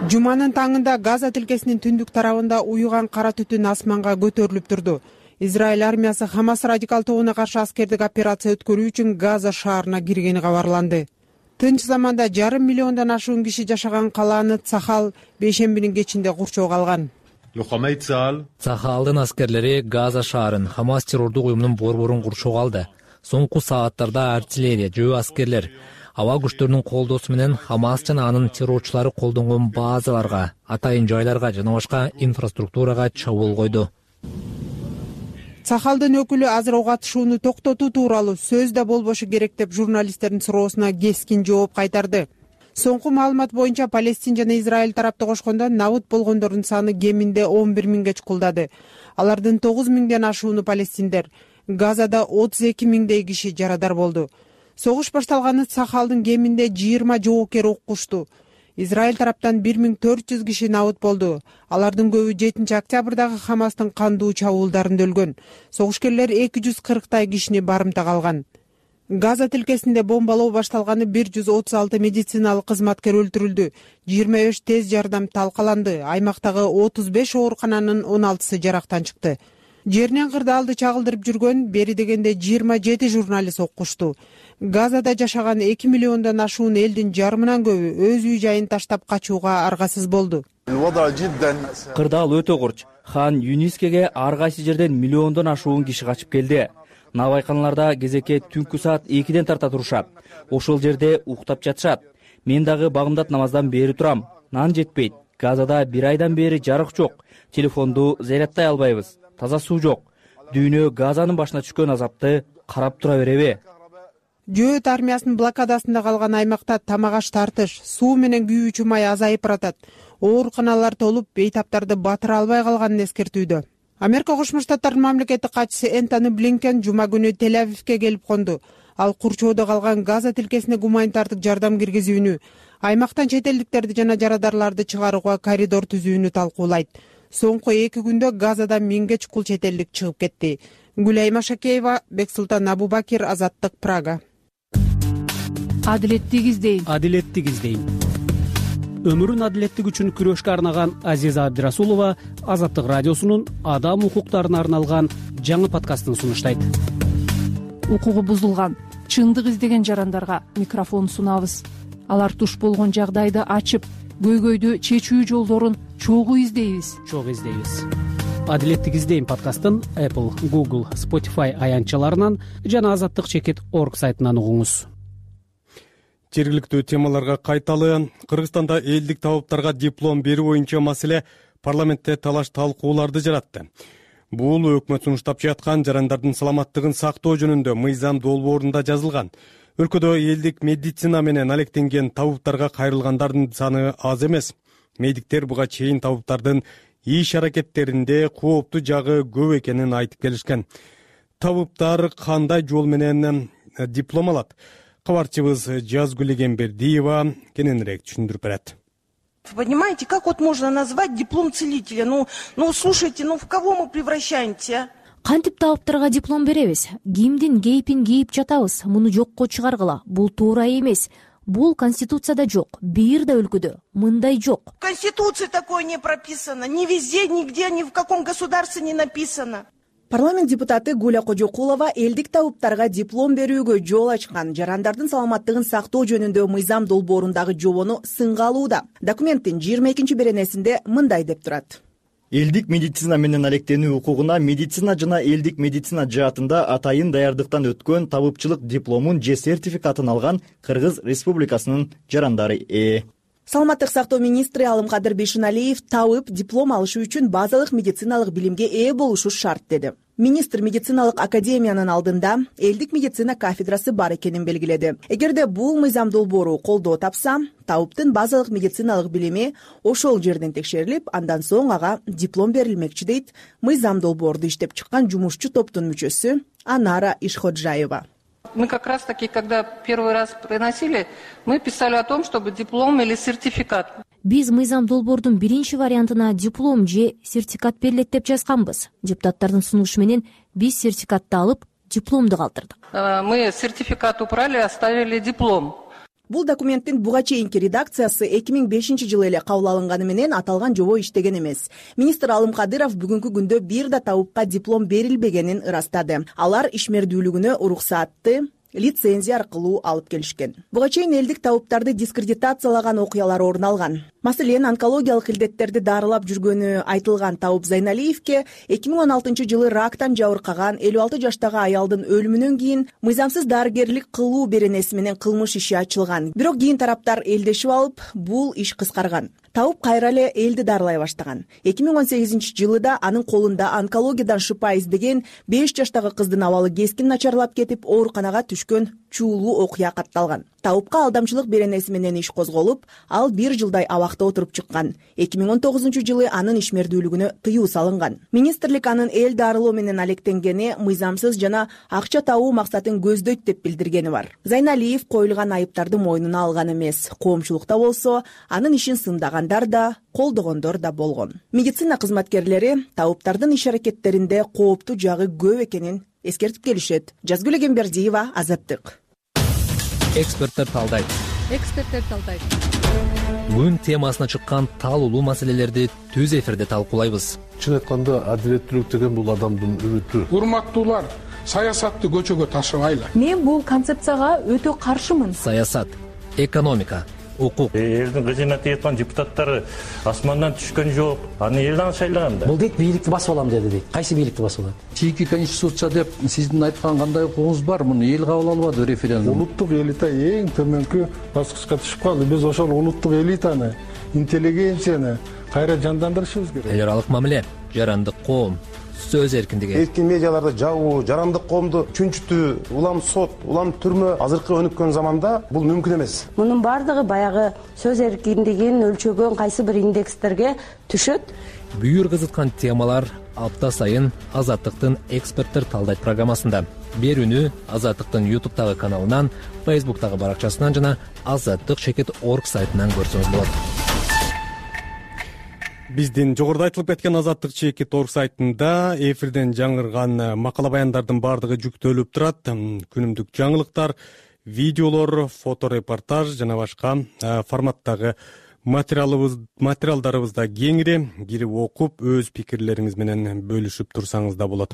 Жуманын таңында Газа тилкесинин түндүк тарабында уюган кара түтүн асманга көтөрүлүп турду. Израиль армиясы Хамас радикал тобуна каршы аскердик операция өткөрүү үчүн Газа шаарына киргени кабарланды. Тынч заманда жарым миллиондон ашуун киши жашаган калааны Цахал бейшембинин кечинде курчоого алган. Цахалдын аскерлери Газа шаарын Хамас террордук уюмунун борборун курчоого алды. Соңку сааттарда артиллерия, жөө аскерлер, аба күчтөрүнүн колдоосу менен Хамас жана анын террорчулары колдонгон базаларга, атайын жайларга жана башка инфраструктурага чабуул койду. Цахалдын өкүлү азыр ок атышууну токтотуу тууралуу сөз да болбошу керек деп журналисттердин суроосуна кескин жооп кайтарды. Соңку маалымат боюнча Палестин жана Израиль тарапты кошкондо набыт болгондордун саны кеминде он бир миңге чукулдады. Алардын тогуз миңден ашууну палестиндер. Газада отуз эки миңдей киши жарадар болду. Согуш башталганы Цахалдын кеминде жыйырма жоокер уккушту. Израиль тараптан бир миң төрт жүз киши набыт болду. Алардын көбү жетинчи октябрдагы Хамастын кандуу чабуулдарында өлгөн. Согушкерлер эки жүз кырктай кишини барымтага алган. Газа тилкесинде бомбалоо башталганы бир жүз отуз алты медициналык кызматкер өлтүрүлдү. жыйырма беш тез жардам талкаланды. Аймактагы отуз беш оорукананын он алтысы жарактан чыкты. Жеринен кырдаалды чагылдырып жүргөн бери дегенде жыйырма жети журналист окушту. Газада жашаган эки миллиондон ашуун элдин жарымынан көбү өз үй жайын таштап качууга аргасыз болду. Кырдаал өтө курч. Хан Юнискеге ар кайсы жерден миллиондон ашуун киши качып келди. Навайканаларда кезекке түнкү саат экиден тарта турушат. Ошол жерде уктап жатышат. Мен дагы багымдат намаздан бери турам. Нан жетпейт. Газада бир айдан бери жарык жок. Телефонду зарядтай албайбыз. Таза суу жок. Дүйнө Газанын башына түшкөн азапты карап тура береби? Жөөт армиясынын блокадасында калган аймакта тамак аш тартыш, суу менен күйүүчү май азайып баратат. Ооруканалар толуп, бейтаптарды батыра албай калганын эскертүүдө. Америка Кошмо Штаттарынын мамлекеттик катчысы Энтони Блинкен жума күнү Тель-Авивке келип конду. Ал курчоодо калган Газа тилкесине гуманитардык жардам киргизүүнү, аймактан чет элдиктерди жана жарадарларды чыгарууга коридор түзүүнү талкуулайт. Соңку эки күндө Газада миңге чукул чет элдик чыгып кетти. Гүлай Машакеева, Бексултан Абубакир, Азаттык, Прага. Адилеттик издейм. Адилеттик издейм. Өмүрүн адилеттик үчүн күрөшкө арнаган Азиза Абдирасулова Азаттык радиосунун адам укуктарына арналган жаңы подкастын сунуштайт. Укугу бузулган, чындык издеген жарандарга микрофон сунабыз. Алар туш болгон жагдайды ачып, көйгөйдү чечүү жолдорун чогуу издейбиз. Чогуу издейбиз. адилеттик издейм подкастын Apple, Google, Spotify аянтчаларынан жана азаттык чекит орг сайтынан угуңуз. Жергиликтүү темаларга кайталы. Кыргызстанда элдик табыптарга диплом берүү боюнча маселе парламентте талаш талкууларды жаратты. Бул өкмөт сунуштап жаткан жарандардын саламаттыгын сактоо жөнүндө мыйзам долбоорунда жазылган. Өлкөдө элдик медицина менен алектенген табыптарга кайрылгандардын саны аз эмес. Медиктер буга чейин табыптардын иш аракеттеринде кооптуу жагы көп экенин айтып келишкен. Табыптар кандай жол менен диплом алат? Кабарчыбыз Жазгүл Эмбердиева кененирээк түшүндүрүп берет. Понимаете, как вот можно назвать диплом целителя? Ну, ну, слушайте, ну в кого мы превращаемся? Кантип табыптарга диплом беребиз? Кимдин кейпин кийип жатабыз? Муну жокко чыгаргыла. Бул туура эмес. Бул конституцияда жок. Бир да өлкөдө мындай жок. В Конституции такое не прописано. Ни везде, нигде, ни в каком государстве не написано. Парламент депутаты Гуля Кожокулова элдик табыптарга диплом берүүгө жол ачкан жарандардын саламаттыгын сактоо жөнүндө мыйзам долбоорундагы жобону сынга алууда. Документтин жыйырма экинчи беренесинде мындай деп турат. Элдик медицина менен алектенүү укугуна медицина жана элдик медицина жаатында атайын даярдыктан өткөн табыпчылык дипломун же сертификатын алган Кыргыз Республикасынын жарандары ээ. Саламаттык сактоо министри Алымкадыр Бейшеналиев табып диплом алышы үчүн базалык медициналык билимге ээ болушу шарт деди. Министр медициналык академиянын алдында элдик медицина кафедрасы бар экенин белгиледи. Эгерде бул мыйзам долбоору колдоо тапса, табыптын базалык медициналык билими ошол жерден текшерилип, андан соң ага диплом берилмекчи дейт мыйзам долбоорду иштеп чыккан жумушчу топтун мүчөсү Анара Ишходжаева. Мы как раз таки, когда первый раз приносили, мы писали о том, чтобы диплом или сертификат. Биз мыйзам долбоордун биринчи вариантына диплом же сертификат берилет деп жазганбыз. Депутаттардын сунушу менен биз сертификатты алып, дипломду калтырдык. Мы сертификат убрали, оставили диплом. Бул документтин буга чейинки редакциясы эки миң бешинчи жылы эле кабыл алынганы менен аталган жобо иштеген эмес. Министр Алымкадыров бүгүнкү күндө бир да табыпка диплом берилбегенин ырастады. Алар ишмердүүлүгүнө уруксаатты лицензия аркылуу алып келишкен. Буга чейин элдик табыптарды дискредитациялаган окуялар орун алган. Маселен, онкологиялык илдеттерди дарылап жүргөнү айтылган Табып Зайналиевке эки миң он алтынчы жылы рактан жабыркаган элүү алты жаштагы аялдын өлүмүнөн кийин мыйзамсыз дарыгерлик кылуу беренеси менен кылмыш иши ачылган. Бирок кийин тараптар элдешип алып, бул иш кыскарган. Табып кайра эле элди дарылай баштаган. эки миң он сегизинчи жылы да анын колунда онкологиядан шыпа издеген беш жаштагы кыздын абалы кескин начарлап кетип, ооруканага түшкөн чуулуу окуя катталган. Табыпка алдамчылык беренеси менен иш козголуп, ал бир жылдай абакта отуруп чыккан. эки миң он тогузунчу жылы анын ишмердүүлүгүнө тыюу салынган. Министрлик анын эл дарылоо менен алектенгени мыйзамсыз жана акча табуу максатын көздөйт деп билдиргени бар. Зайналиев коюлган айыптарды мойнуна алган эмес. Коомчулукта болсо, анын ишин сындагандар да, колдогондор да болгон. Медицина кызматкерлери табыптардын иш аракеттеринде кооптуу жагы көп экенин эскертип келишет. Жазгүл Эмбердиева, Азаттык. Эксперттер талдайт. Эксперттер талдайт. Күн темасына чыккан талуулуу маселелерди түз эфирде талкуулайбыз. Чын айтканда, адилеттүүлүк деген бул адамдын үмүтү. Урматтуулар, саясатты көчөгө ташыбайлы. Мен бул концепцияга өтө каршымын. Саясат, экономика, укук. Элдин кызына тийип депутаттары асмандан түшкөн жок. Аны элден шайлаган да. Бул дейт бийликти басып алам деди дейт. Кайсы бийликти басып алат? Чийки конституция деп сиздин айткан кандай укугуңуз бар? Муну эл кабыл албады референдум. Улуттук элита эң төмөнкү баскычка түшүп калды. Биз ошол улуттук элитаны, интеллигенцияны кайра жандандырышыбыз керек. Эл аралык мамиле, жарандык коом, сөз эркиндиги. Эркин медиаларды жабуу, жарандык коомду чүнчүтүү, улам сот, улам түрмө азыркы өнүккөн заманда бул мүмкүн эмес. Мунун бардыгы баягы сөз эркиндигин өлчөгөн кайсы бир индекстерге түшөт. Бүйүр кызыткан темалар апта сайын Азаттыктын эксперттер талдайт программасында. Берүүнү Азаттыктын ютубтагы каналынан, фейсбуктагы баракчасынан жана азаттык чекит орг сайтынан көрсөңүз болот. Биздин жогоруда айтылып кеткен азаттык чекит орг сайтында эфирден жаңырган макала баяндардын бардыгы жүктөлүп турат. Күнүмдүк жаңылыктар, видеолор, фоторепортаж жана башка форматтагы материалыбыз материалдарыбызда кеңири кирип окуп, өз пикирлериңиз менен бөлүшүп турсаңыз да болот.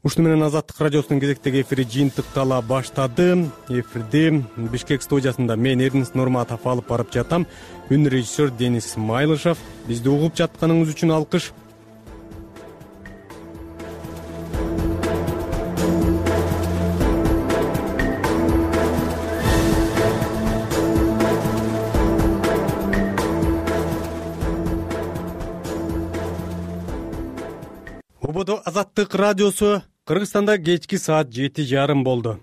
Ушуну менен Азаттык радиосунун кезектеги эфири жыйынтыктала баштады. Эфирди Бишкек студиясында мен Эрнис Нурматов алып барып жатам. Үн режиссер Денис Майлышев. Бизди угуп жатканыңыз үчүн алкыш. ободо Азаттык радиосу. Кыргызстанда кечки саат жети жарым болду.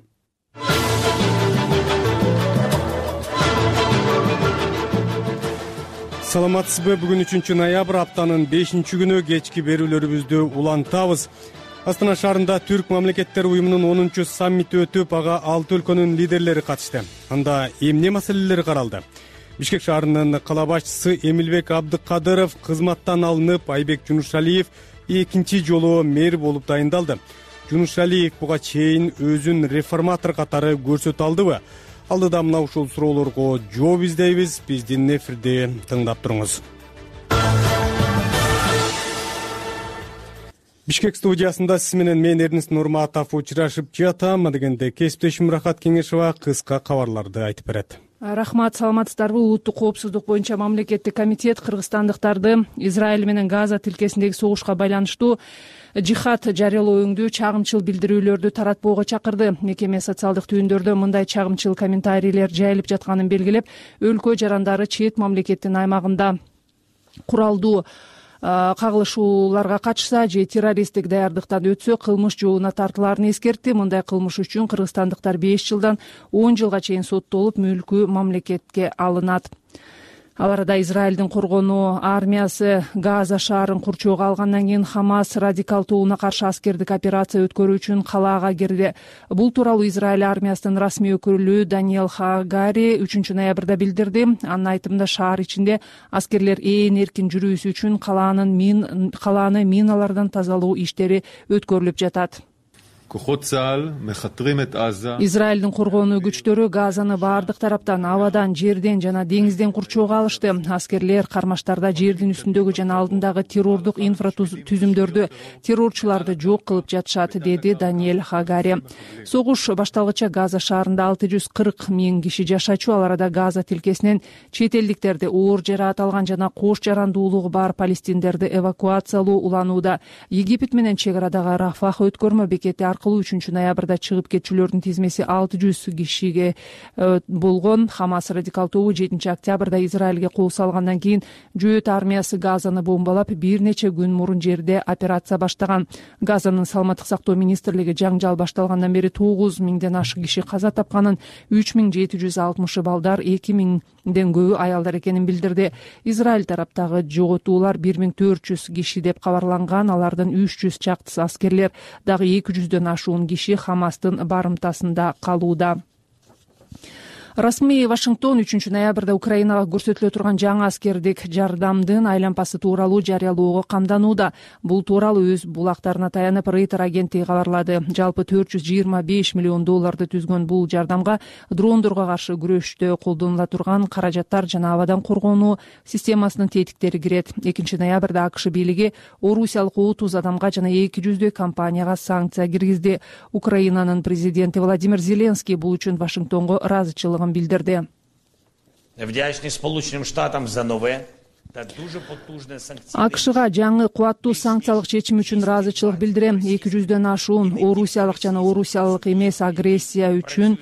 Саламатсызбы? Бүгүн үчүнчү ноябрь, аптанын бешинчи күнү кечки берүүлөрүбүздү улантабыз. Астана шаарында Түрк мамлекеттер уюмунун онунчу саммити өтүп, ага алты өлкөнүн лидерлери катышты. Анда эмне маселелер каралды? Бишкек шаарынын кала башчысы Эмилбек Абдыкадыров кызматтан алынып, Айбек Жунушалиев экинчи жолу мэр болуп дайындалды. Жунушалиев буга чейин өзүн реформатор катары көрсөтө алдыбы? Алдыда мына ушул суроолорго жооп издейбиз. Биздин эфирди тыңдап туруңуз. Бишкек студиясында сиз менен мен Эрнест Нурматов учурашып жатам. Дегенде кесиптешим Рахат Кеңешова кыска кабарларды айтып берет. Рахмат, саламатсыздарбы? Улуттук коопсуздук боюнча мамлекеттик комитет кыргызстандыктарды Израиль менен Газа тилкесиндеги согушка байланыштуу жихад жарыялоо өңдүү чагымчыл билдирүүлөрдү таратпоого чакырды. Мекеме социалдык түйүндөрдө мындай чагымчыл комментарийлер жайылып жатканын белгилеп, өлкө жарандары чет мамлекеттин аймагында куралдуу кагылышууларга катышса же террористтик даярдыктан өтсө кылмыш жообуна тартылаарын эскертти. Мындай кылмыш үчүн кыргызстандыктар беш жылдан он жылга чейин соттолуп, мүлкү мамлекетке алынат. Ал арада Израилдин коргонуу армиясы Газа шаарын курчоого алгандан кийин Хамас радикал тобуна каршы аскердик операция өткөрүү үчүн калаага кирди. Бул тууралуу Израиль армиясынын расмий өкүлү Даниэль Хагари үчүнчү ноябрда билдирди. Анын айтымында шаар ичинде аскерлер ээн эркин жүрүүсү үчүн калаанын мин калааны миналардан тазалоо иштери өткөрүлүп жатат. Израилдин коргонуу күчтөрү Газаны баардык тараптан, абадан, жерден жана деңизден курчоого алышты. Аскерлер кармаштарда жердин үстүндөгү жана алдындагы террордук инфратүзүмдөрдү, террорчуларды жок кылып жатышат, деди Даниэль Хагари. Согуш башталгыча Газа шаарында алты жүз кырк миң киши жашачу. Ал арада Газа тилкесинен чет элдиктерди, оор жараат алган жана кош жарандуулугу бар палестиндерди эвакуациялоо уланууда. Египет менен чек арадагы Рафах өткөрмө бекети үчүнчү ноябрда чыгып кетчүлөрдүн тизмеси алты жүз кишиге болгон. Хамас радикал тобу жетинчи октябрда Израилге кол салгандан кийин жөөт армиясы Газаны бомбалап, бир нече күн мурун жерде операция баштаган. Газанын саламаттык сактоо министрлиги жаңжал башталгандан бери тогуз миңден ашык киши каза тапканын, үч миң жети жүз алтымышы балдар, эки миңден көбү аялдар экенин билдирди. Израиль тараптагы жоготуулар бир миң төрт жүз киши деп кабарланган. Алардын үч жүз чактысы аскерлер, дагы эки жүздөн ашуун киши Хамастын барымтасында калууда. Расмий Вашингтон үчүнчү ноябрда Украинага көрсөтүлө турган жаңы аскердик жардамдын айлампасы тууралуу жарыялоого камданууда. Бул тууралуу өз булактарына таянып Рейтер агенттиги кабарлады. Жалпы төрт жүз жыйырма беш миллион долларды түзгөн бул жардамга дрондорго каршы күрөштө колдонула турган каражаттар жана абадан коргонуу системасынын тетиктери кирет. экинчи ноябрда АКШ бийлиги орусиялык отуз адамга жана эки жүздөй компанияга санкция киргизди. Украинанын президенти Владимир Зеленский бул үчүн Вашингтонго ыраазычылык билдирди. Вдячный Сполученным Штатам за новое АКШга жаңы кубаттуу санкциялык чечим үчүн ыраазычылык билдирем. эки жүздөн ашуун орусиялык жана орусиялык эмес агрессия үчүн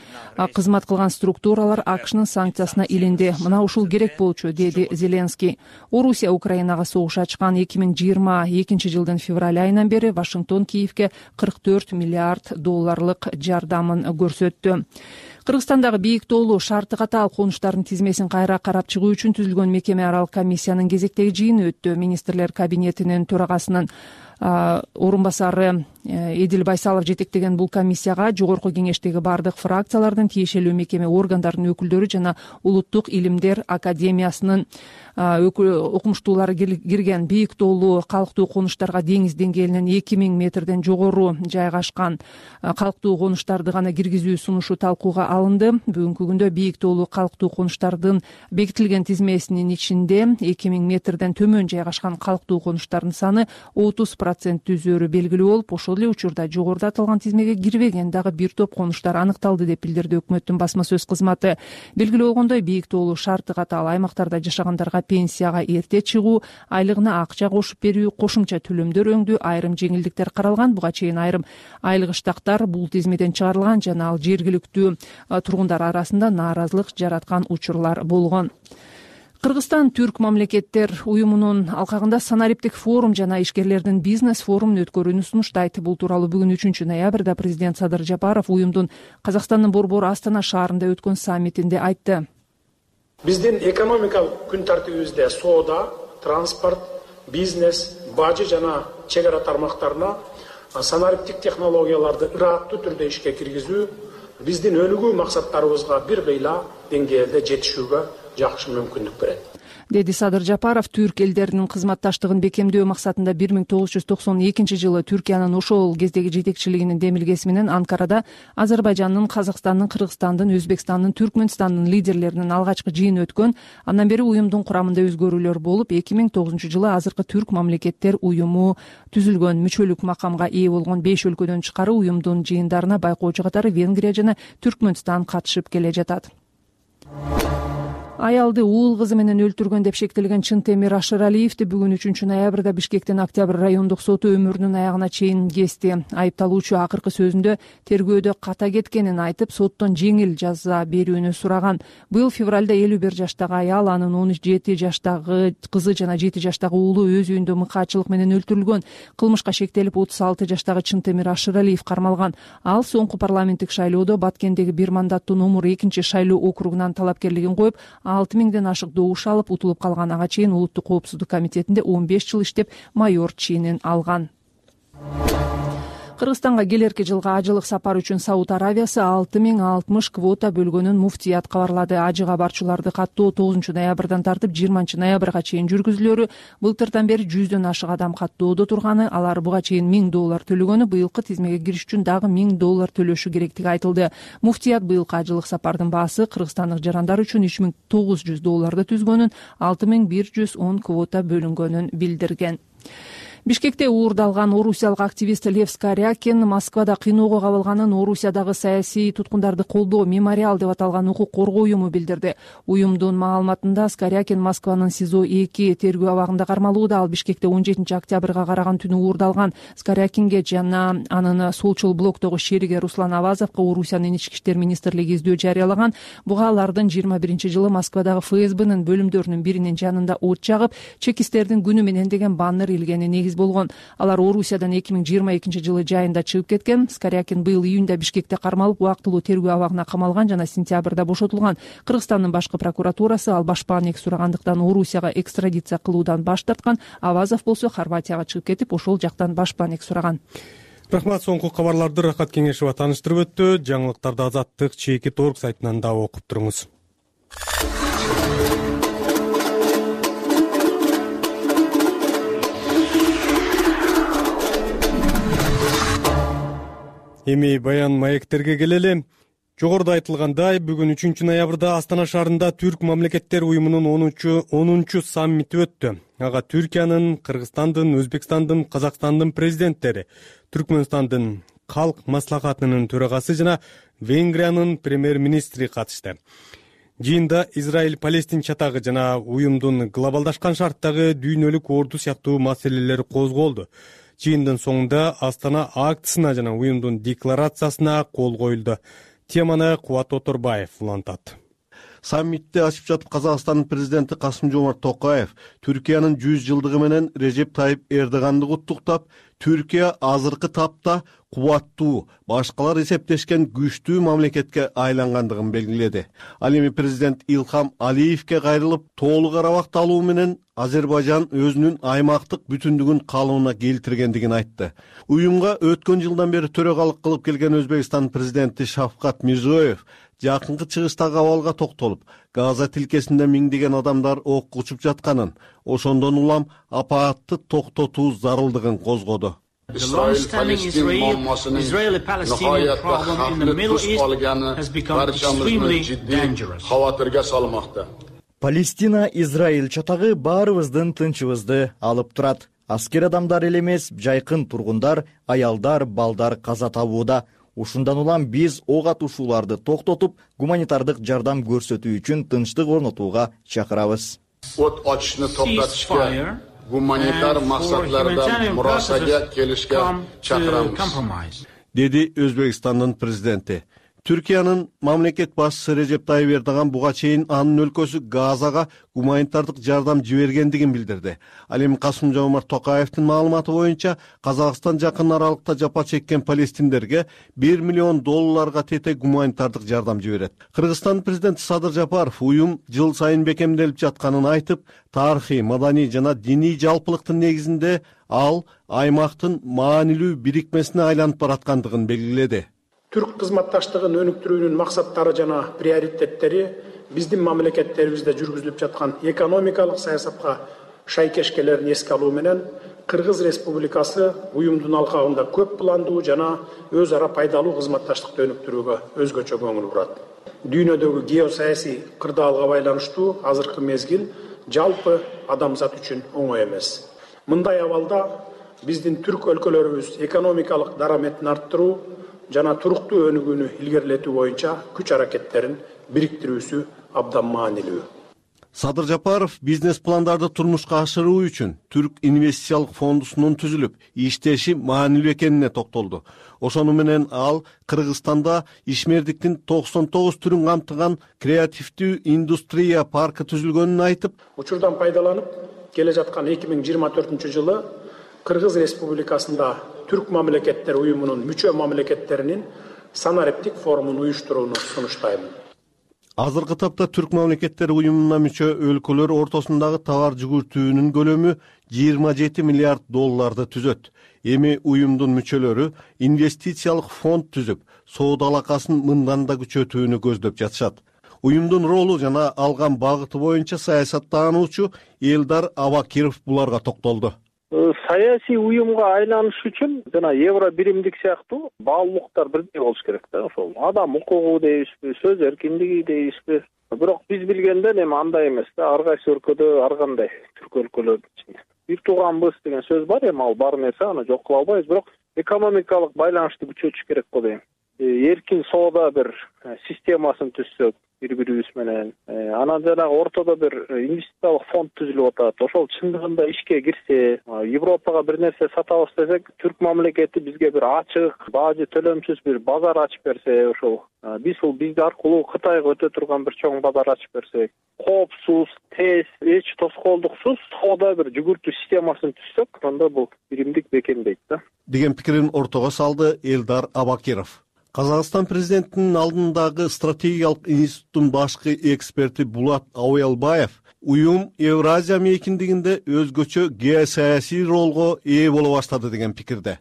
кызмат кылган структуралар АКШнын санкциясына илинди. Мына ушул керек болчу, деди Зеленский. Орусия Украинага согуш ачкан эки миң жыйырма экинчи жылдын февраль айынан бери Вашингтон Киевке кырк төрт миллиард долларлык жардамын көрсөттү. Кыргызстандагы бийик тоолуу шарты катаал конуштардын тизмесин кайра карап чыгуу үчүн түзүлгөн мекеме аралык комиссиянын кезектеги жыйыны өттү. Министрлер кабинетинин төрагасынын орун басары Эдил Байсалов жетектеген бул комиссияга жогорку кеңештеги бардык фракциялардын, тиешелүү мекеме органдарынын өкүлдөрү жана Улуттук илимдер академиясынын окумуштуулары кирген. Бийик тоолуу калктуу конуштарга деңиз деңгээлинен эки миң метрден жогору жайгашкан калктуу конуштарды гана киргизүү сунушу талкууга алынды. Бүгүнкү күндө бийик тоолуу калктуу конуштардын бекитилген тизмесинин ичинде эки миң метрден төмөн жайгашкан калктуу конуштардын саны отуз процент түзөөрү белгилүү болуп, ошол эле учурда жогоруда аталган тизмеге кирбеген дагы бир топ конуштар аныкталды деп билдирди өкмөттүн басма сөз кызматы. Белгилүү болгондой, бийик тоолуу шарты катаал аймактарда жашагандарга пенсияга эрте чыгуу, айлыгына акча кошуп берүү, кошумча төлөмдөр өңдүү, айрым жеңилдиктер каралган. Буга чейин айрым айылгычтактар бул тизмеден чыгарылган жана ал жергиликтүү тургундар арасында нааразылык жараткан учурлар болгон. Кыргызстан Түрк мамлекеттер уюмунун алкагында санариптик форум жана ишкерлердин бизнес форумун өткөрүүнү сунуштайт. Бул тууралуу бүгүн үчүнчү ноябрда президент Садыр Жапаров уюмдун Казакстандын борбору Астана шаарында өткөн саммитинде айтты. Биздин экономикалык күн тартибибизде соода, транспорт, бизнес, бажы жана чек ара тармактарына санариптик технологияларды ыраттуу түрдө ишке киргизүү биздин өнүгүү максаттарыбызга бир кыйла деңгээлде жетишүүгө жакшы мүмкүндүк берет, деди Садыр Жапаров. Түрк элдеринин кызматташтыгын бекемдөө максатында бир миң тогуз жүз токсон экинчи жылы Түркиянын ошол кездеги жетекчилигинин демилгеси менен Анкарада Азербайжандын, Казакстандын, Кыргызстандын, Өзбекстандын, Түркмөнстандын лидерлеринин алгачкы жыйыны өткөн. Андан бери уюмдун курамында өзгөрүүлөр болуп, эки миң тогузунчу жылы азыркы Түрк мамлекеттер уюму түзүлгөн. Мүчөлүк макамга ээ болгон беш өлкөдөн тышкары уюмдун жыйындарына байкоочу катары Венгрия жана Түркмөнстан катышып келе жатат. Аялды уул кызы менен өлтүргөн деп шектелген Чынтемир Ашыралиевди бүгүн үчүнчү ноябрда Бишкектин Октябрь райондук соту өмүрүнүн аягына чейин кести. Айыпталуучу акыркы сөзүндө тергөөдө ката кеткенин айтып, соттон жеңил жаза берүүнү сураган. Быйыл февралда элүү бир жаштагы аял, анын он жети жаштагы кызы жана жети жаштагы уулу өз үйүндө мыкаачылык менен өлтүрүлгөн. Кылмышка шектелип отуз алты жаштагы Чынтемир Ашыралиев кармалган. Ал соңку парламенттик шайлоодо Баткендеги бир мандаттуу номер экинчи шайлоо округунан талапкерлигин коюп, алты миңден ашык добуш алып, утулуп калган. Ага чейин Улуттук коопсуздук комитетинде он беш жыл иштеп, майор ченин алган. Кыргызстанга келерки жылга ажылык сапар үчүн Сауд Аравиясы алты миң алтымыш квота бөлгөнүн муфтият кабарлады. Ажыга барчуларды каттоо тогузунчу ноябрдан тартып жыйырманчы ноябрга чейин жүргүзүлөрү. Былтырдан бери жүздөн ашык адам каттоодо турганы, алар буга чейин миң доллар төлөгөнү, быйылкы тизмеге кириш үчүн дагы миң доллар төлөшү керектиги айтылды. Муфтият быйылкы ажылык сапардын баасы кыргызстандык жарандар үчүн үч миң тогуз жүз долларды түзгөнүн, алты миң бир жүз он квота бөлүнгөнүн билдирген. Бишкекте уурдалган орусиялык активист Лев Скорякин Москвада кыйноого кабылганын Орусиядагы саясий туткундарды колдоо мемориал деп аталган укук коргоо уюму билдирди. Уюмдун маалыматында Скорякин Москванын СИЗО эки тергөө абагында кармалууда. Ал Бишкекте он жетинчи октябрга караган түнү уурдалган. Скорякинге жана анын солчул блоктогу шериги Руслан Авазовго Орусиянын ички иштер министрлиги издөө жарыялаган. Буга алардын жыйырма биринчи жылы Москвадагы ФСБнын бөлүмдөрүнүн биринин жанында от жагып, чекисттердин күнү менен деген баннер илгени негиз болгон. Алар Орусиядан эки миң жыйырма экинчи жылы жайында чыгып кеткен. Скорякин быйыл июнда Бишкекте кармалып, убактылуу тергөө абагына камалган жана сентябрда бошотулган. Кыргызстандын башкы прокуратурасы ал башпаанек сурагандыктан Орусияга экстрадиция кылуудан баш тарткан. Авазов болсо Хорватияга чыгып кетип, ошол жактан башпаанек сураган. Рахмат. Соңку кабарларды Рахат Кеңешева тааныштырып өттү. Жаңылыктарды Азаттык чекит орг сайтынан да окуп туруңуз. Эми баян маектерге келели. Жогоруда айтылгандай, бүгүн үчүнчү ноябрда Астана шаарында Түрк мамлекеттер уюмунун онунчу саммити өттү. Ага Түркиянын, Кыргызстандын, Өзбекстандын, Казакстандын президенттери, Түркмөнстандын калк маслахатынын төрагасы жана Венгриянын премьер-министри катышты. Жыйында Израиль Палестин чатагы жана уюмдун глобалдашкан шарттагы дүйнөлүк орду сыяктуу маселелер козголду. Жыйындын соңунда Астана актысына жана уюмдун декларациясына кол коюлду. Теманы Кубат Оторбаев улантат. Саммитти ачып жатып Казакстандын президенти Касым-Жомарт Токаев Түркиянын жүз жылдыгы менен Режеп Тайып Эрдоганды куттуктап, Түркия азыркы тапта кубаттуу, башкалар эсептешкен күчтүү мамлекетке айлангандыгын белгиледи. Ал эми президент Илхам Алиевке кайрылып, толук арабакталуу менен Азербайжан өзүнүн аймактык бүтүндүгүн калыбына келтиргендигин айтты. Уюмга өткөн жылдан бери төрагалык кылып келген Өзбекстан президенти Шавкат Мирзиёев жакынкы чыгыштагы абалга токтолуп, Газа тилкесинде миңдеген адамдар ок учуп жатканын, ошондон улам апаатты токтотуу зарылдыгын козгоду. Палестина Израиль чатагы баарыбыздын тынчыбызды алып турат. Аскер адамдар эле эмес, жайкын тургундар, аялдар, балдар каза табууда. Ушундан улам биз ок атуушууларды токтотуп, гуманитардык жардам көрсөтүү үчүн тынчтык орнотууга чакырабыз. От ачышны токтотушка, гуманитар максатларда мурасага келишке чакырамыз, деди Өзбекстандын президенти. Түркиянын мамлекет башчысы Режеп Тайып Эрдоган буга чейин анын өлкөсү Газага гуманитардык жардам жибергендигин билдирди. Ал эми Касым-Жомарт Токаевдин маалыматы боюнча Казакстан жакын аралыкта жапа чеккен палестиндерге бир миллион долларга тете гуманитардык жардам жиберет. Кыргызстан президенти Садыр Жапаров уюм жыл сайын бекемделип жатканын айтып, тарыхый, маданий жана диний жалпылыктын негизинде ал аймактын маанилүү бирикмесине айланып бараткандыгын белгиледи. Түрк кызматташтыгын өнүктүрүүнүн максаттары жана приоритеттери биздин мамлекеттерибизде жүргүзүлүп жаткан экономикалык саясатка шайкеш келерин эске алуу менен Кыргыз Республикасы уюмдун алкагында көп пландуу жана өз ара пайдалуу кызматташтыкты өнүктүрүүгө өзгөчө көңүл бурат. Дүйнөдөгү геосаясий кырдаалга байланыштуу азыркы мезгил жалпы адамзат үчүн оңой эмес. Мындай абалда биздин түрк өлкөлөрүбүз экономикалык дараметин арттыруу жана туруктуу өнүгүүнү илгерилетүү боюнча күч аракеттерин бириктирүүсү абдан маанилүү. Садыр Жапаров бизнес пландарды турмушка ашыруу үчүн Түрк инвестициялык фондусунун түзүлүп, иштеши маанилүү экенине токтолду. Ошону менен ал Кыргызстанда ишмердиктин токсон тогуз түрүн камтыган креативдүү индустрия паркы түзүлгөнүн айтып, учурдан пайдаланып келе жаткан эки миң жыйырма төртүнчү жылы Кыргыз Республикасында Түрк мамлекеттер уюмунун мүчө мамлекеттеринин санариптик форумун уюштурууну сунуштаймын. Азыркы тапта Түрк мамлекеттер уюмуна мүчө өлкөлөр ортосундагы товар жүгүртүүнүн көлөмү жыйырма жети миллиард долларды түзөт. Эми уюмдун мүчөлөрү инвестициялык фонд түзүп, соода алакасын мындан да күчөтүүнү көздөп жатышат. Уюмдун ролу жана алган багыты боюнча саясаттануучу Элдар Абакиров буларга токтолду. Саясий уюмга айланыш үчүн жана евро биримдик сыяктуу баалуулуктар бирдей болуш керек да. Ошол адам укугу дейбизби, сөз эркиндиги дейбизби. Бирок биз билгенден эми андай эмес да. Ар кайсы өлкөдө ар кандай түрк өлкөлөрдүн ичинде бир тууганбыз деген сөз бар, эми ал бар нерсе, аны жок кыла албайбыз. Бирок экономикалык байланышты күчөтүш керек го дейм. Эркин соода бир системасын түзсөк бири бирибиз менен, анан жанагы ортодо бир инвестициялык фонд түзүлүп атат. Ошол чындыгында ишке кирсе, Европага бир нерсе сатабыз десек, түрк мамлекети бизге бир ачык, бажы төлөмсүз бир базар ачып берсе, ошол биз бул бизди аркылуу Кытайга өтө турган бир чоң базар ачып берсек, коопсуз, тез, эч тоскоолдуксуз соода бир жүгүртүү системасын түзсөк, анда бул биримдик бекемдейт да. Деген пикирин ортого салды Элдар Абакиров. Казакстан президентинин алдындагы стратегиялык институттун башкы эксперти Булат Ауялбаев уюм Евразия мейкиндигинде өзгөчө геосаясий ролго ээ боло баштады деген пикирде.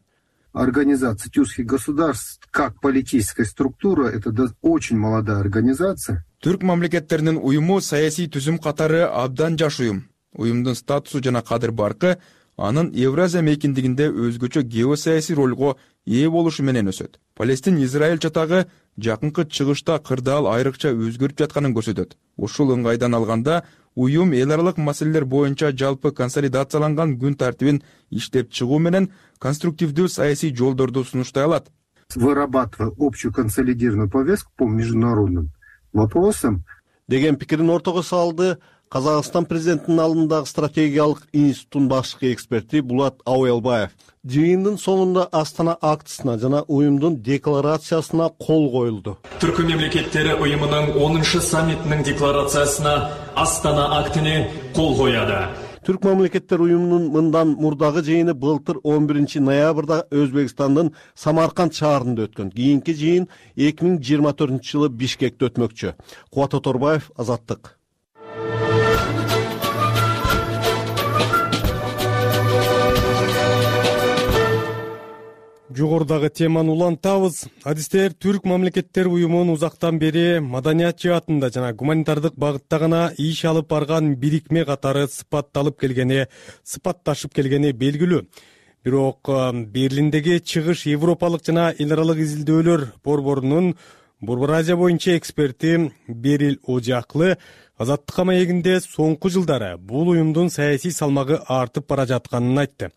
Организация тюркских государств как политическая структура — это очень молодая организация. Түрк мамлекеттеринин уюму саясий түзүм катары абдан жаш уюм. Уюмдун статусу жана кадыр баркы анын Евразия мейкиндигинде өзгөчө геосаясий ролго ээ болушу менен өсөт. Палестин-Израиль чатагы жакынкы чыгышта кырдаал айрыкча өзгөрүп жатканын көрсөтөт. Ушул ыңгайдан алганда уюм эл аралык маселелер боюнча жалпы консолидацияланган күн тартибин иштеп чыгуу менен конструктивдүү саясий жолдорду сунуштай алат. Вырабатывая общую консолидированную повестку по международным вопросам, деген пикирин ортого салды Казакстан президентинин алдындагы стратегиялык институттун башкы эксперти Булат Ауялбаев. Жыйындын соңунда Астана актысына жана уюмдун декларациясына кол коюлду. Түрк мемлекеттери уюмунун онунчу саммитинин декларациясына Астана актыны кол коюду. Түрк мамлекеттер уюмунун мындан мурдагы жыйыны былтыр он биринчи ноябрда Өзбекстандын Самарканд шаарында өткөн. Кийинки жыйын эки миң жыйырма төртүнчү жылы Бишкекте өтмөкчү. Кубат Оторбаев, Азаттык. Жогорудагы теманы улантабыз. Адистер Түрк мамлекеттер уюмунун узактан бери маданият жаатында жана гуманитардык багытта гана иш алып барган бирикме катары сыпатталып келгени, сыпатташып келгени белгилүү. Бирок Берлиндеги чыгыш европалык жана эл аралык изилдөөлөр борборунун Борбор Азия боюнча эксперти Берил Ожаклы Азаттыкка маегинде соңку жылдары бул уюмдун саясий салмагы артып бара жатканын айтты.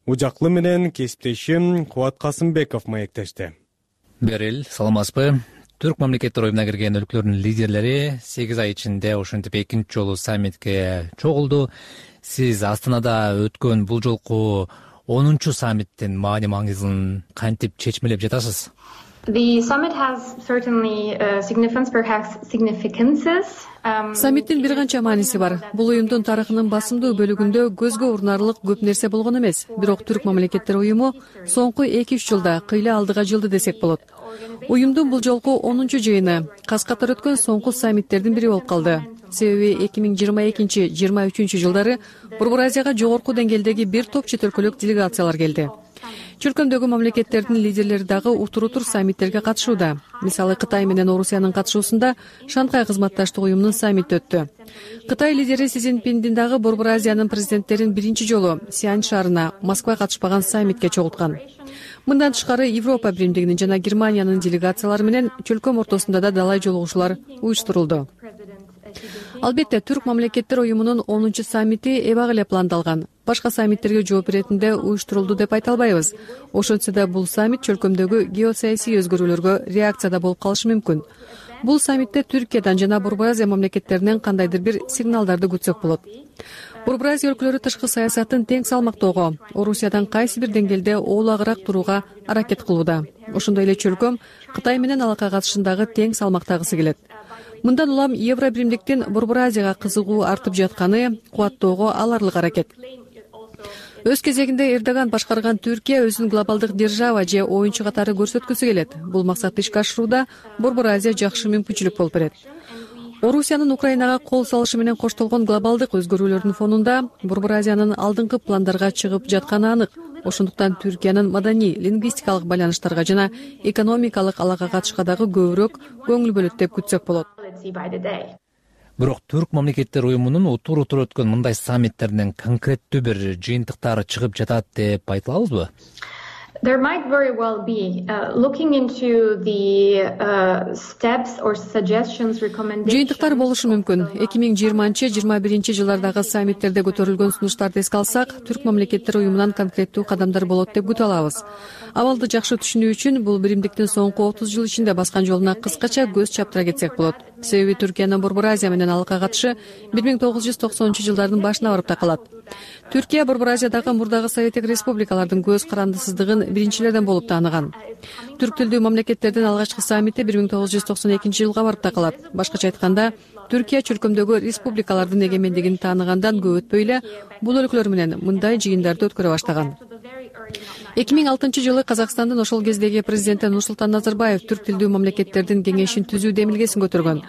Ожаклы менен кесиптешим Кубат Касымбеков маектешти. Берил, саламатсызбы? Түрк мамлекеттер уюмуна кирген өлкөлөрдүн лидерлери сегиз ай ичинде ошентип экинчи жолу саммитке чогулду. Сиз Астанада өткөн бул жолку онунчу саммиттин маани маңызын кантип чечмелеп жатасыз? Саммиттин бир канча мааниси бар. Бул уюмдун тарыхынын басымдуу бөлүгүндө көзгө урунарлык көп нерсе болгон эмес. Бирок Түрк мамлекеттер уюму соңку эки үч жылда кыйла алдыга жылды десек болот. Уюмдун бул жолку онунчу жыйыны каз катар өткөн соңку саммиттердин бири болуп калды. Себеби эки миң жыйырма экинчи жыйырма үчүнчү жылдары Борбор Азияга жогорку деңгээлдеги бир топ чет өлкөлүк делегациялар келди. Чөлкөмдөгү мамлекеттердин лидерлери дагы утур-утур саммиттерге катышууда. Мисалы Кытай менен Орусиянын катышуусунда Шанхай кызматташтык уюмунун саммити өттү. Кытай лидери Си Цзиньпиндин дагы Борбор Азиянын президенттерин биринчи жолу Сиань шаарына Москва катышпаган саммитке чогулткан. Мындан тышкары Европа биримдигинин жана Германиянын делегациялары менен чөлкөм ортосунда да далай жолугушуулар уюштурулду. Албетте, Түрк мамлекеттер уюмунун онунчу саммити эбак эле пландалган. Башка саммиттерге жооп иретинде уюштурулду деп айта албайбыз. Ошентсе да бул саммит чөлкөмдөгү геосаясий өзгөрүүлөргө реакцияда болуп калышы мүмкүн. Бул саммитте Түркиядан жана Борбор Азия мамлекеттеринен кандайдыр бир сигналдарды күтсөк болот. Борбор Азия өлкөлөрү тышкы саясатын тең салмактоого, Орусиядан кайсы бир деңгээлде оолагыраак турууга аракет кылууда. Ошондой эле чөлкөм Кытай менен алака катышындагы тең салмактагысы келет. Мындан улам Евро биримдиктин Борбор Азияга кызыгуу артып жатканы кубаттоого аларлык аракет. Өз кезегинде Эрдоган башкарган Түркия өзүн глобалдык держава же оюнчу катары көрсөткүсү келет. Бул максатты ишке ашырууда Борбор Азия жакшы мүмкүнчүлүк болуп берет. Орусиянын Украинага кол салышы менен коштолгон глобалдык өзгөрүүлөрдүн фонунда Борбор Азиянын алдыңкы пландарга чыгып жатканы анык. Ошондуктан Түркиянын маданий, лингвистикалык байланыштарга жана экономикалык алака катышка дагы көбүрөөк көңүл бөлөт деп күтсөк болот. Бирок Түрк мамлекеттер уюмунун утур-утур өткөн мындай саммиттеринен конкреттүү бир жыйынтыктары чыгып жатат деп айта алабызбы? There might very well be uh, looking into the uh, steps or suggestions, recommendations. Жыйынтыктар болушу мүмкүн. эки миң жыйырманчы жыйырма биринчи жылдардагы саммиттерде көтөрүлгөн сунуштарды эске алсак, Түрк мамлекеттер уюмунан конкреттүү кадамдар болот деп күтө алабыз. Абалды жакшы түшүнүү үчүн бул биримдиктин соңку отуз жыл ичинде баскан жолуна кыскача көз чаптыра кетсек болот. Себеби Түркиянын Борбор Азия менен алака катышы бир миң тогуз жүз токсонунчу жылдардын башына барып такалат. Түркия Борбор Азиядагы мурдагы Советтик республикалардын көз карандысыздыгын биринчилерден болуп тааныган. Түрк тилдүү мамлекеттердин алгачкы саммити бир миң тогуз жүз токсон экинчи жылга барып такалат. Башкача айтканда, Түркия чөлкөмдөгү республикалардын эгемендигин тааныгандан көп өтпөй эле бул өлкөлөр менен мындай жыйындарды өткөрө баштаган. эки миң алтынчы жылы Казакстандын ошол кездеги президенти Нурсултан Назарбаев Түрк тилдүү мамлекеттердин кеңешин түзүү демилгесин көтөргөн.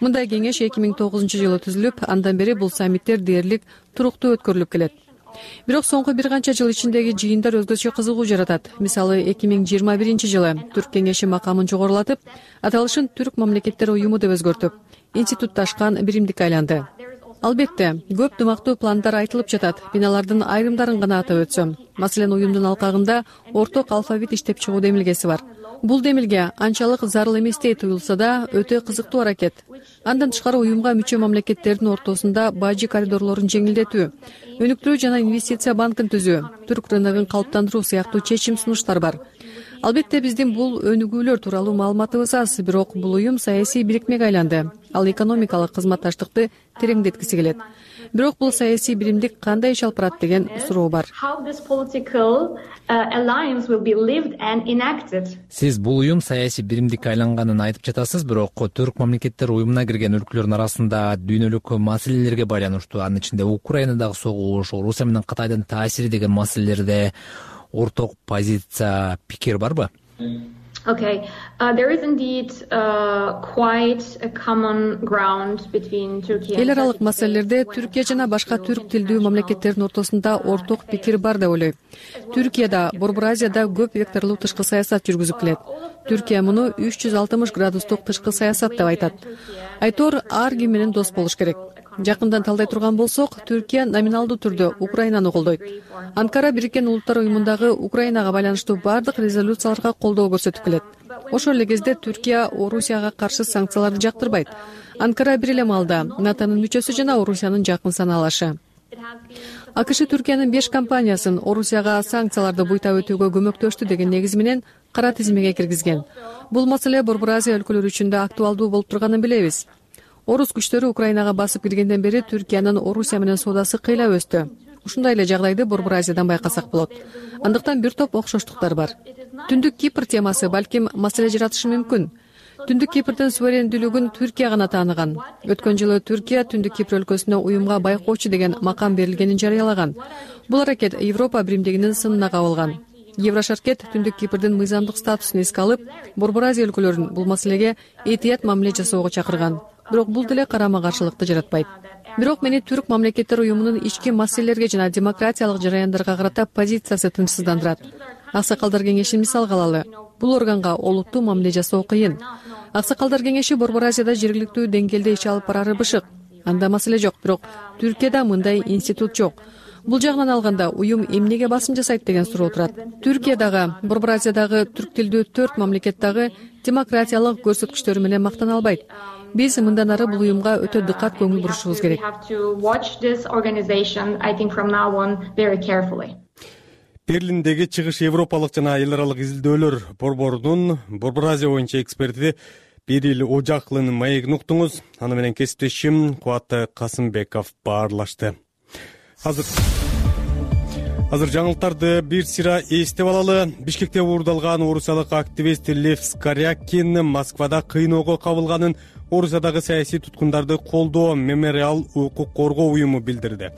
Мындай кеңеш эки миң тогузунчу жылы түзүлүп, андан бери бул саммиттер дээрлик туруктуу өткөрүлүп келет. Бирок соңку бир канча жыл ичиндеги жыйындар өзгөчө кызыгуу жаратат. Мисалы эки миң жыйырма биринчи жылы Түрк кеңеши макамын жогорулатып, аталышын Түрк мамлекеттер уюму деп өзгөртүп, институтташкан биримдикке айланды. Албетте, көп дымактуу пландар айтылып жатат. Мен алардын айрымдарын гана атап өтсөм. Маселен, уюмдун алкагында орток алфавит иштеп чыгуу демилгеси бар. Бул демилге анчалык зарыл эместей туюлса да, өтө кызыктуу аракет. Андан тышкары уюмга мүчө мамлекеттердин ортосунда бажы коридорлорун жеңилдетүү, өнүктүрүү жана инвестиция банкын түзүү, түрк рыногун калыптандыруу сыяктуу чечим сунуштар бар. Албетте, биздин бул өнүгүүлөр тууралуу маалыматыбыз аз, бирок бул уюм саясий бирикмеге айланды. Ал экономикалык кызматташтыкты тереңдеткиси келет. Бирок бул саясий биримдик кандай иш алып барат деген суроо бар. Сиз бул уюм саясий биримдикке айланганын айтып жатасыз, бирок Түрк мамлекеттер уюмуна кирген өлкөлөрдүн арасында дүйнөлүк маселелерге байланыштуу, анын ичинде Украинадагы согуш, Орусия менен Кытайдын таасири деген маселелерде орток позиция, пикир барбы? Okay, uh, there is indeed uh, quite a common ground between Turkey and Эл аралык маселелерде Түркия жана башка түрк тилдүү мамлекеттердин ортосунда орток пикир бар деп ойлойм. Түркияда, Борбор Азияда көп векторлуу тышкы саясат жүргүзүп келет. Түркия муну үч жүз алтымыш градустук тышкы саясат деп айтат. Айтор ар ким менен дос болуш керек. Жакындан талдай турган болсок, Түркия номиналдуу түрдө Украинаны колдойт. Анкара Бириккен Улуттар уюмундагы Украинага байланыштуу бардык резолюцияларга колдоо көрсөтүп келет. Ошол эле кезде Түркия Орусияга каршы санкцияларды жактырбайт. Анкара бир эле маалда натонун мүчөсү жана Орусиянын жакын саналашы. АКШ Түркиянын беш компаниясын Орусияга санкцияларды буйтап өтүүгө көмөктөштү деген негиз менен кара тизимеге киргизген. Бул маселе Борбор Азия өлкөлөрү үчүн да актуалдуу болуп турганын билебиз. Орус күчтөрү Украинага басып киргенден бери Түркиянын Орусия менен соодасы кыйла өстү. ушундай эле жагдайды Борбор Азиядан байкасак болот. Андыктан бир топ окшоштуктар бар. Түндүк Кипр темасы балким маселе жаратышы мүмкүн. Түндүк Кипрдин суверендүүлүгүн Түркия гана тааныган. Өткөн жылы Түркия Түндүк Кипр өлкөсүнө уюмга байкоочу деген макам берилгенин жарыялаган. Бул аракет Европа биримдигинин сынына кабылган. Еврошаркет Түндүк Кипрдин мыйзамдык статусун эске алып, Борбор Азия өлкөлөрүн бул маселеге этият мамиле жасоого чакырган. Бирок бул деле карама-каршылыкты жаратпайт. Бирок мени Түрк мамлекеттер уюмунун ички маселелерге жана демократиялык жараяндарга карата позициясы тынчсыздандырат. Аксакалдар кеңешин мисалга алалы. Бул органга олуттуу мамиле жасоо кыйын. Аксакалдар кеңеши Борбор Азияда жергиликтүү деңгээлде иш алып барары бышык. Анда маселе жок, бирок Түркияда мындай институт жок. Бул жагынан алганда уюм эмнеге басым жасайт деген суроо турат. Түркиядагы, Борбор Азиядагы түрк тилдүү төрт мамлекет дагы демократиялык көрсөткүчтөрү менен мактана албайт. Биз мындан ары бул уюмга өтө дыкат көңүл бурушубуз керек. Берлиндеги чыгыш Европалык жана эл аралык изилдөөлөр борборунун Борбор Азия боюнча эксперти Берил Ожакулунун маегин уктуңуз. Аны менен кесиптешим Кубат Касымбеков баарлашты. Азыр Азыр жаңылыктарды бир сыйра эстеп алалы. Бишкекте уурдалган орусиялык активист Лев Скорякин Москвада кыйноого кабылганын Орусиядагы саясий туткундарды колдоо мемориал укук коргоо уюму билдирди.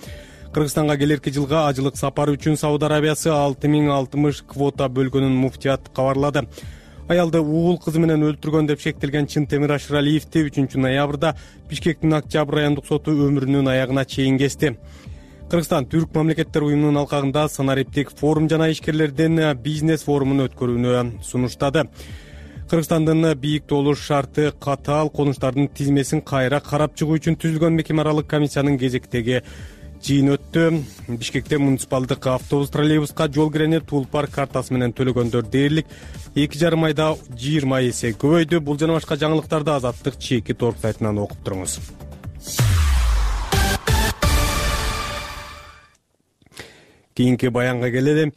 Кыргызстанга келерки жылга ажылык сапары үчүн Сауд Арабиясы алты миң алтымыш квота бөлгөнүн муфтият кабарлады. Аялды угул кызы менен өлтүргөн деп шектелген Чынтемир Ашыралиевди үчүнчү ноябрда Бишкектин Октябрь райондук соту өмүрүнүн аягына чейин кести. Кыргызстан Түрк мамлекеттер уюмунун алкагында санариптик форум жана ишкерлердин бизнес форумун өткөрүүнү сунуштады. Кыргызстандын бийик толуш шарты катаал конуштардын тизмесин кайра карап чыгуу үчүн түзүлгөн мекеме аралык комиссиянын кезектеги жыйын өттү. Бишкекте муниципалдык автобус троллейбуска жол кирени Тулпар картасы менен төлөгөндөр дээрлик эки жарым айда жыйырма эсе көбөйдү. Бул жана башка жаңылыктарды Азаттык чеки торп сайтынан окуп туруңуз. Кийинки баянга келели.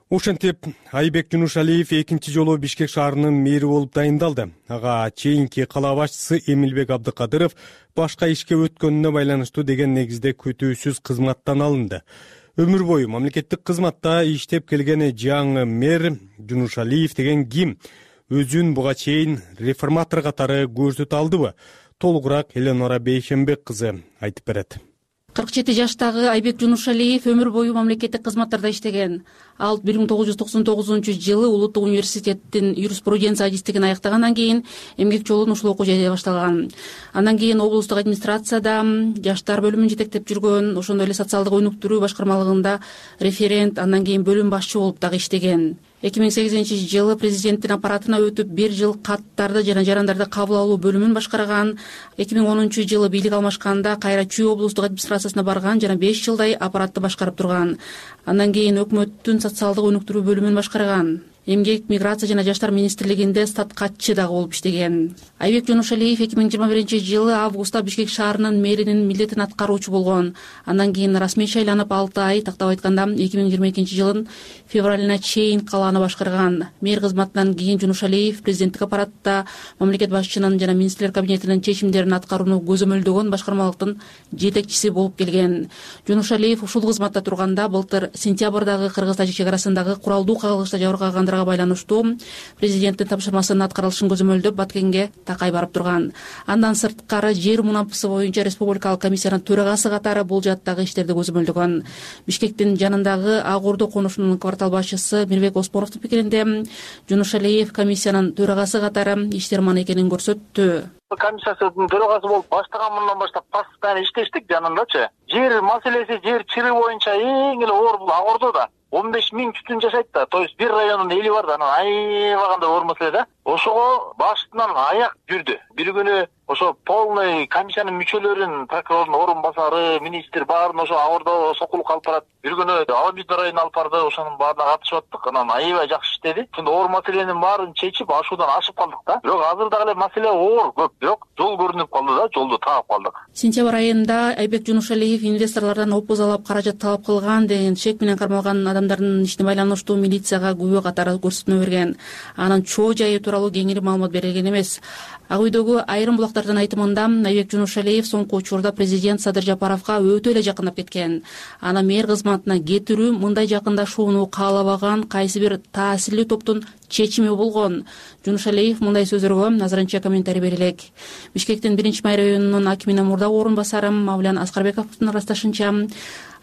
Ошентип Айбек Жунушалиев экинчи жолу Бишкек шаарынын мэри болуп дайындалды. Ага чейинки кала башчысы Эмилбек Абдыкадыров башка ишке өткөнүнө байланыштуу деген негизде күтүүсүз кызматтан алынды. Өмүр бою мамлекеттик кызматта иштеп келген жаңы мэр Жунушалиев деген ким? Өзүн буга чейин реформатор катары көрсөтө алдыбы? Толугураак Эленора Бейшембек кызы айтып берет. кырк жети жаштагы Айбек Жунушалиев өмүр бою мамлекеттик кызматтарда иштеген. Ал бир миң тогуз жүз токсон тогузунчу жылы Улуттук университеттин юриспруденция адистигин аяктагандан кийин эмгек жолун ушул окуу жайда башталган. Андан кийин облустук администрацияда жаштар бөлүмүн жетектеп жүргөн, ошондой эле социалдык өнүктүрүү башкармалыгында референт, андан кийин бөлүм башчы болуп дагы иштеген. эки миң сегизинчи жылы президенттин аппаратына өтүп бир жыл каттарды жана жарандарды кабыл алуу бөлүмүн башкарган. эки миң онунчу жылы бийлик алмашканда кайра Чүй облустук администрациясына барган жана беш жылдай аппаратты башкарып турган. Андан кийин өкмөттүн социалдык өнүктүрүү бөлүмүн башкарган. Эмгек, миграция жана жаштар министрлигинде статкатчы дагы болуп иштеген. Айбек Жунушалиев эки миң жыйырма биринчи жылы августта Бишкек шаарынын мэринин милдетин аткаруучу болгон. Андан кийин расмий шайланып алты ай, тактап айтканда эки миң жыйырма экинчи жылдын февралына чейин калааны башкарган. Мэр кызматынан кийин Жунушалиев президенттик аппаратта мамлекет башчынын жана министрлер кабинетинин чечимдерин аткарууну көзөмөлдөгөн башкармалыктын жетекчиси болуп келген. Жунушалиев ушул кызматта турганда былтыр сентябрдагы Кыргыз-Тажик чек арасындагы куралдуу кагылышта жабыркагандар байланыштуу президенттин тапшырмасынын аткарылышын көзөмөлдөп Баткенге такай барып турган. Андан сырткары жер мунапысы боюнча республикалык комиссиянын төрагасы катары бул жаттагы иштерди көзөмөлдөгөн. Бишкектин жанындагы Ак Ордо конушунун квартал башчысы Мирбек Оспоровдун пикиринде Жунушалиев комиссиянын төрагасы катары иштерман экенин көрсөттү. Комиссиянын төрагасы болуп баштагандан баштап постоянно иштештик жанындачы. Жер маселеси, жер чыры боюнча эң эле оор бул Ак Ордодо. он беш миң түтүн жашайт да, то есть бир райондун эли бар да, анан аябаганда оор маселе да. Ошого баштынан аяк жүрдү. Бир күнү ошо полный комиссиянын мүчөлөрүн, прокурордун орун басары, министр баарын ошо Ак Ордо сокулук алып барат. Бир күнү аудит районуна алып барды, ошонун баарына катышып аттык. Анан аябай жакшы иштеди. Ошондо оор маселенин баарын чечип, ашуудан ашып калдык да. Бирок азыр дагы эле маселе оор, көп. Бирок жол көрүнүп калды да, жолду таап калдык. Сентябрь айында Айбек Жунушалиев инвесторлордон опузалап каражат талап кылган деген шек менен кармалган адамдардын ишине байланыштуу милицияга күбө катары көрсөтмө берген. Анын чоо жайы тууралуу кеңири маалымат берилген эмес. Ак үйдөгү айрым булакта депутаттардын айтымында Айбек Жунушалиев соңку учурда президент Садыр Жапаровго өтө эле жакындап кеткен. Аны мэр кызматына кетирүү мындай жакындашууну каалабаган кайсы бир таасирлүү топтун чечими болгон. Жунушалиев мындай сөздөргө азырынча комментарий бере элек. Бишкектин биринчи май районунун акиминин мурдагы орун басары Мавлян Аскарбековдун ырасташынча,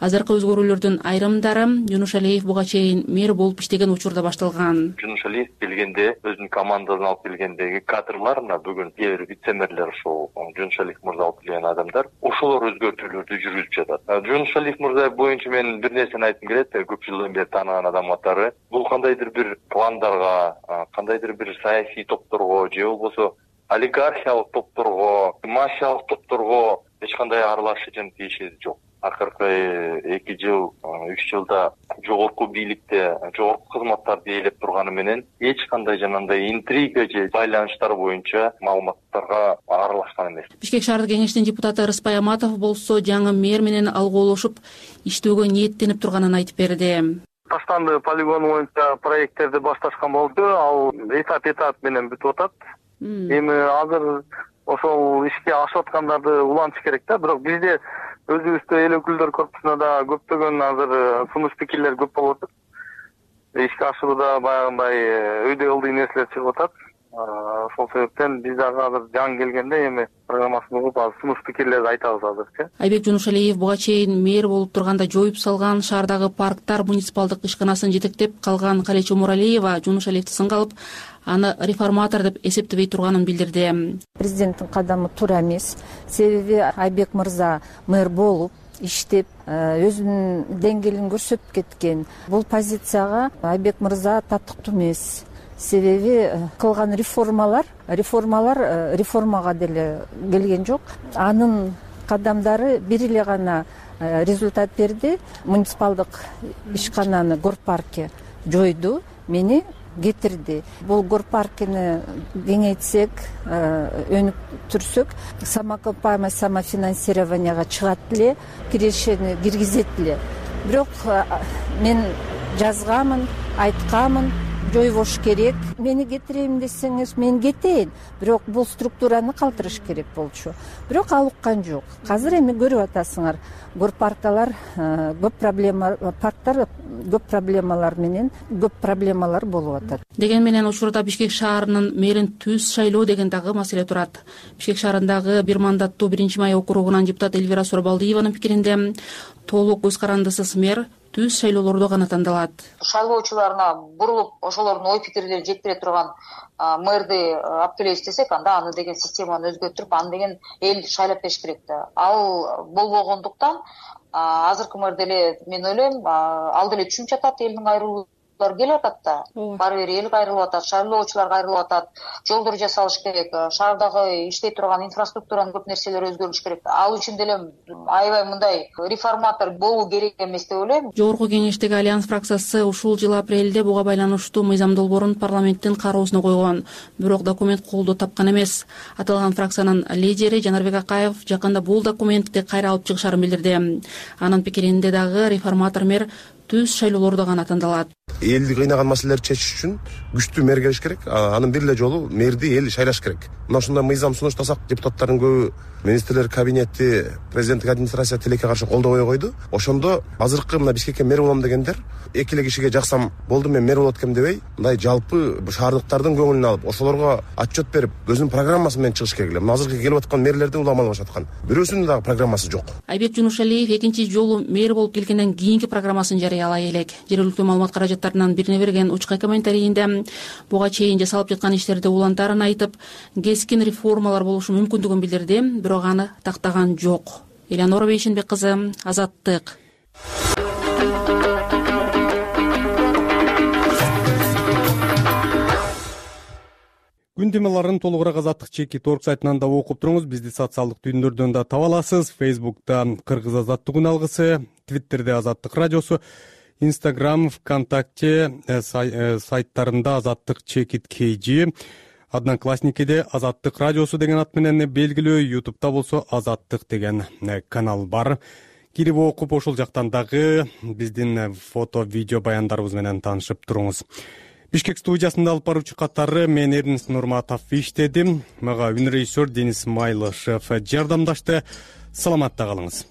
азыркы өзгөрүүлөрдүн айрымдары Жунушалиев буга чейин мэр болуп иштеген учурда башталган. Жунушалиев келгенде өзүнүн командасын алып келгендеги кадрлар, мына бүгүн кээ бир вице-мэрлер ушул Жунушалиев мырза алып келген адамдар, ошолор өзгөртүүлөрдү жүргүзүп жатат. Жунушалиев мырза боюнча мен бир нерсени айткым келет, көп жылдан бери тааныган адам катары. Бул кандайдыр бир пландарга, кандайдыр бир саясий топторго же болбосо олигархиялык топторго, мафиялык топторго эч кандай аралашуучун тиешеси жок. Акыркы эки жыл, үч жылда жогорку бийликте, жогорку кызматтарды ээлеп турганы менен эч кандай жанагындай интрига же байланыштар боюнча маалыматтарга аралашкан эмес. Бишкек шаардык кеңештин депутаты Рыспай Аматов болсо жаңы мэр менен алгоолошуп иштөөгө ниеттенип турганын айтып берди. Таштанды полигон боюнча проекттерди башташкан болду. Ал этап этап менен бүтүп атат. Эми азыр ошол ишке ашып аткандарды улантыш керек да. Бирок бизде өзүбүздө эл өкүлдөр корпусуна да көптөгөн азыр сунуш пикирлер көп болуп атат. Ишке ашууда баягындай өйдө ылдый нерселер чыгып атат. Ошол себептен биз дагы азыр жаңы келгенде эми программасын угуп азыр сунуш пикирлерди айтабыз азырчы. Айбек Жунушалиев буга чейин мэр болуп турганда жоюп салган шаардагы парктар муниципалдык ишканасын жетектеп калган Калечо Муралиева Жунушалиевди сынга алып, аны реформатор деп эсептебей турганын билдирди. Президенттин кадамы туура эмес. Себеби Айбек мырза мэр болуп иштеп, өзүнүн деңгээлин көрсөтүп кеткен. Бул позицияга Айбек мырза татыктуу эмес. Себеби кылган реформалар, реформалар реформага деле келген жок. Анын кадамдары бир эле гана результат берди. Муниципалдык ишкананы Горпаркке жойду, мени кетирди. Бул Горпаркини кеңейтсек, өнүктүрсөк, самоокупаемость, самофинансированияга чыгат эле, кирешени киргизет эле. Бирок мен жазганмын, айтканмын, жойбош керек. Мени кетирейин десеңиз, мен кетейин. Бирок бул структураны калтырыш керек болчу. Бирок ал уккан жок. Азыр эми көрүп атасыңар, горпаркалар көп проблема, парктар көп проблемалар менен көп проблемалар болуп атат. Деген менен учурда Бишкек шаарынын мэрин түз шайлоо деген дагы маселе турат. Бишкек шаарындагы бир мандаттуу биринчи май округунан депутат Эльвира Сурабалдиеванын пикиринде толук көз карандысыз мэр түз шайлоолордо гана тандалат. Шайлоочуларына бурулуп, ошолордун ой пикирлерин жеткире турган мэрди алып келебиз десек, анда аны деген системаны өзгөртүп, аны деген эл шайлап бериш керек да. Ал болбогондуктан азыркы мэр деле мен ойлойм, ал деле түшүнүп жатат, элдин кайрылуулары келип атат да. Баары бир эл кайрылып атат, шайлоочулар кайрылып атат, жолдор жасалыш керек, шаардагы иштей турган инфраструктуранын көп нерселери өзгөрүш керек. Ал үчүн деле аябай мындай реформатор болуу керек эмес деп ойлойм. Жогорку кеңештеги Альянс фракциясы ушул жыл апрелде буга байланыштуу мыйзам долбоорун парламенттин кароосуна койгон. Бирок документ колдоо тапкан эмес. Аталган фракциянын лидери Жанарбек Акаев жакында бул документти кайра алып чыгышарын билдирди. Анын пикиринде дагы реформатор мэр түз шайлоолордо гана тандалат. Элди кыйнаган маселелерди чечиш үчүн күчтүү мэр келиш керек. Анын бир эле жолу мэрди эл шайлаш керек. Мына ушундай мыйзам сунуштасак, депутаттардын көбү министрлер кабинети, президенттик администрация тилекке каршы колдобой койду. Ошондо азыркы мына Бишкекке мэр болом дегендер эки эле кишиге жаксам болду, мен мэр болот экем дебей, мындай жалпы шаардыктардын көңүлүн алып, ошолорго отчет берип, өзүнүн программасы менен чыгыш керек эле. Мына азыркы келип аткан мэрлердин уламалып жаткан бирөөсүнүн дагы программасы жок. Айбек Жунушалиев экинчи жолу мэр болуп келгенден кийинки программасын жарыялай элек. Жергиликтүү маалымат каражаттарынан бирине берген учка комментарийинде буга чейин жасалып жаткан иштерди улантарын айтып, кескин реформалар болушу мүмкүндүгүн билдирди, бирок аны тактаган жок. Элеонора Бейшенбек кызы, Азаттык. Күн темаларын толугураак Азаттык чекит орг сайтынан да окуп туруңуз. Бизди социалдык түйүндөрдөн да таба аласыз. Фейсбукта Кыргыз Азаттык күн алгысы, Твиттерде Азаттык радиосу, Инстаграм, ВКонтакте сайттарында Азаттык чекит kg, Одноклассникиде Азаттык радиосу деген ат менен белгилүү, Ютубта болсо Азаттык деген канал бар. Кирип окуп, ошол жактан дагы биздин фото, видео баяндарыбыз менен таанышып туруңуз. Бишкек студиясында алып баруучу катары мен Эрнест Нурматов иштедим. Мага үн режиссер Денис Майлышев жардамдашты. Саламатта калыңыз.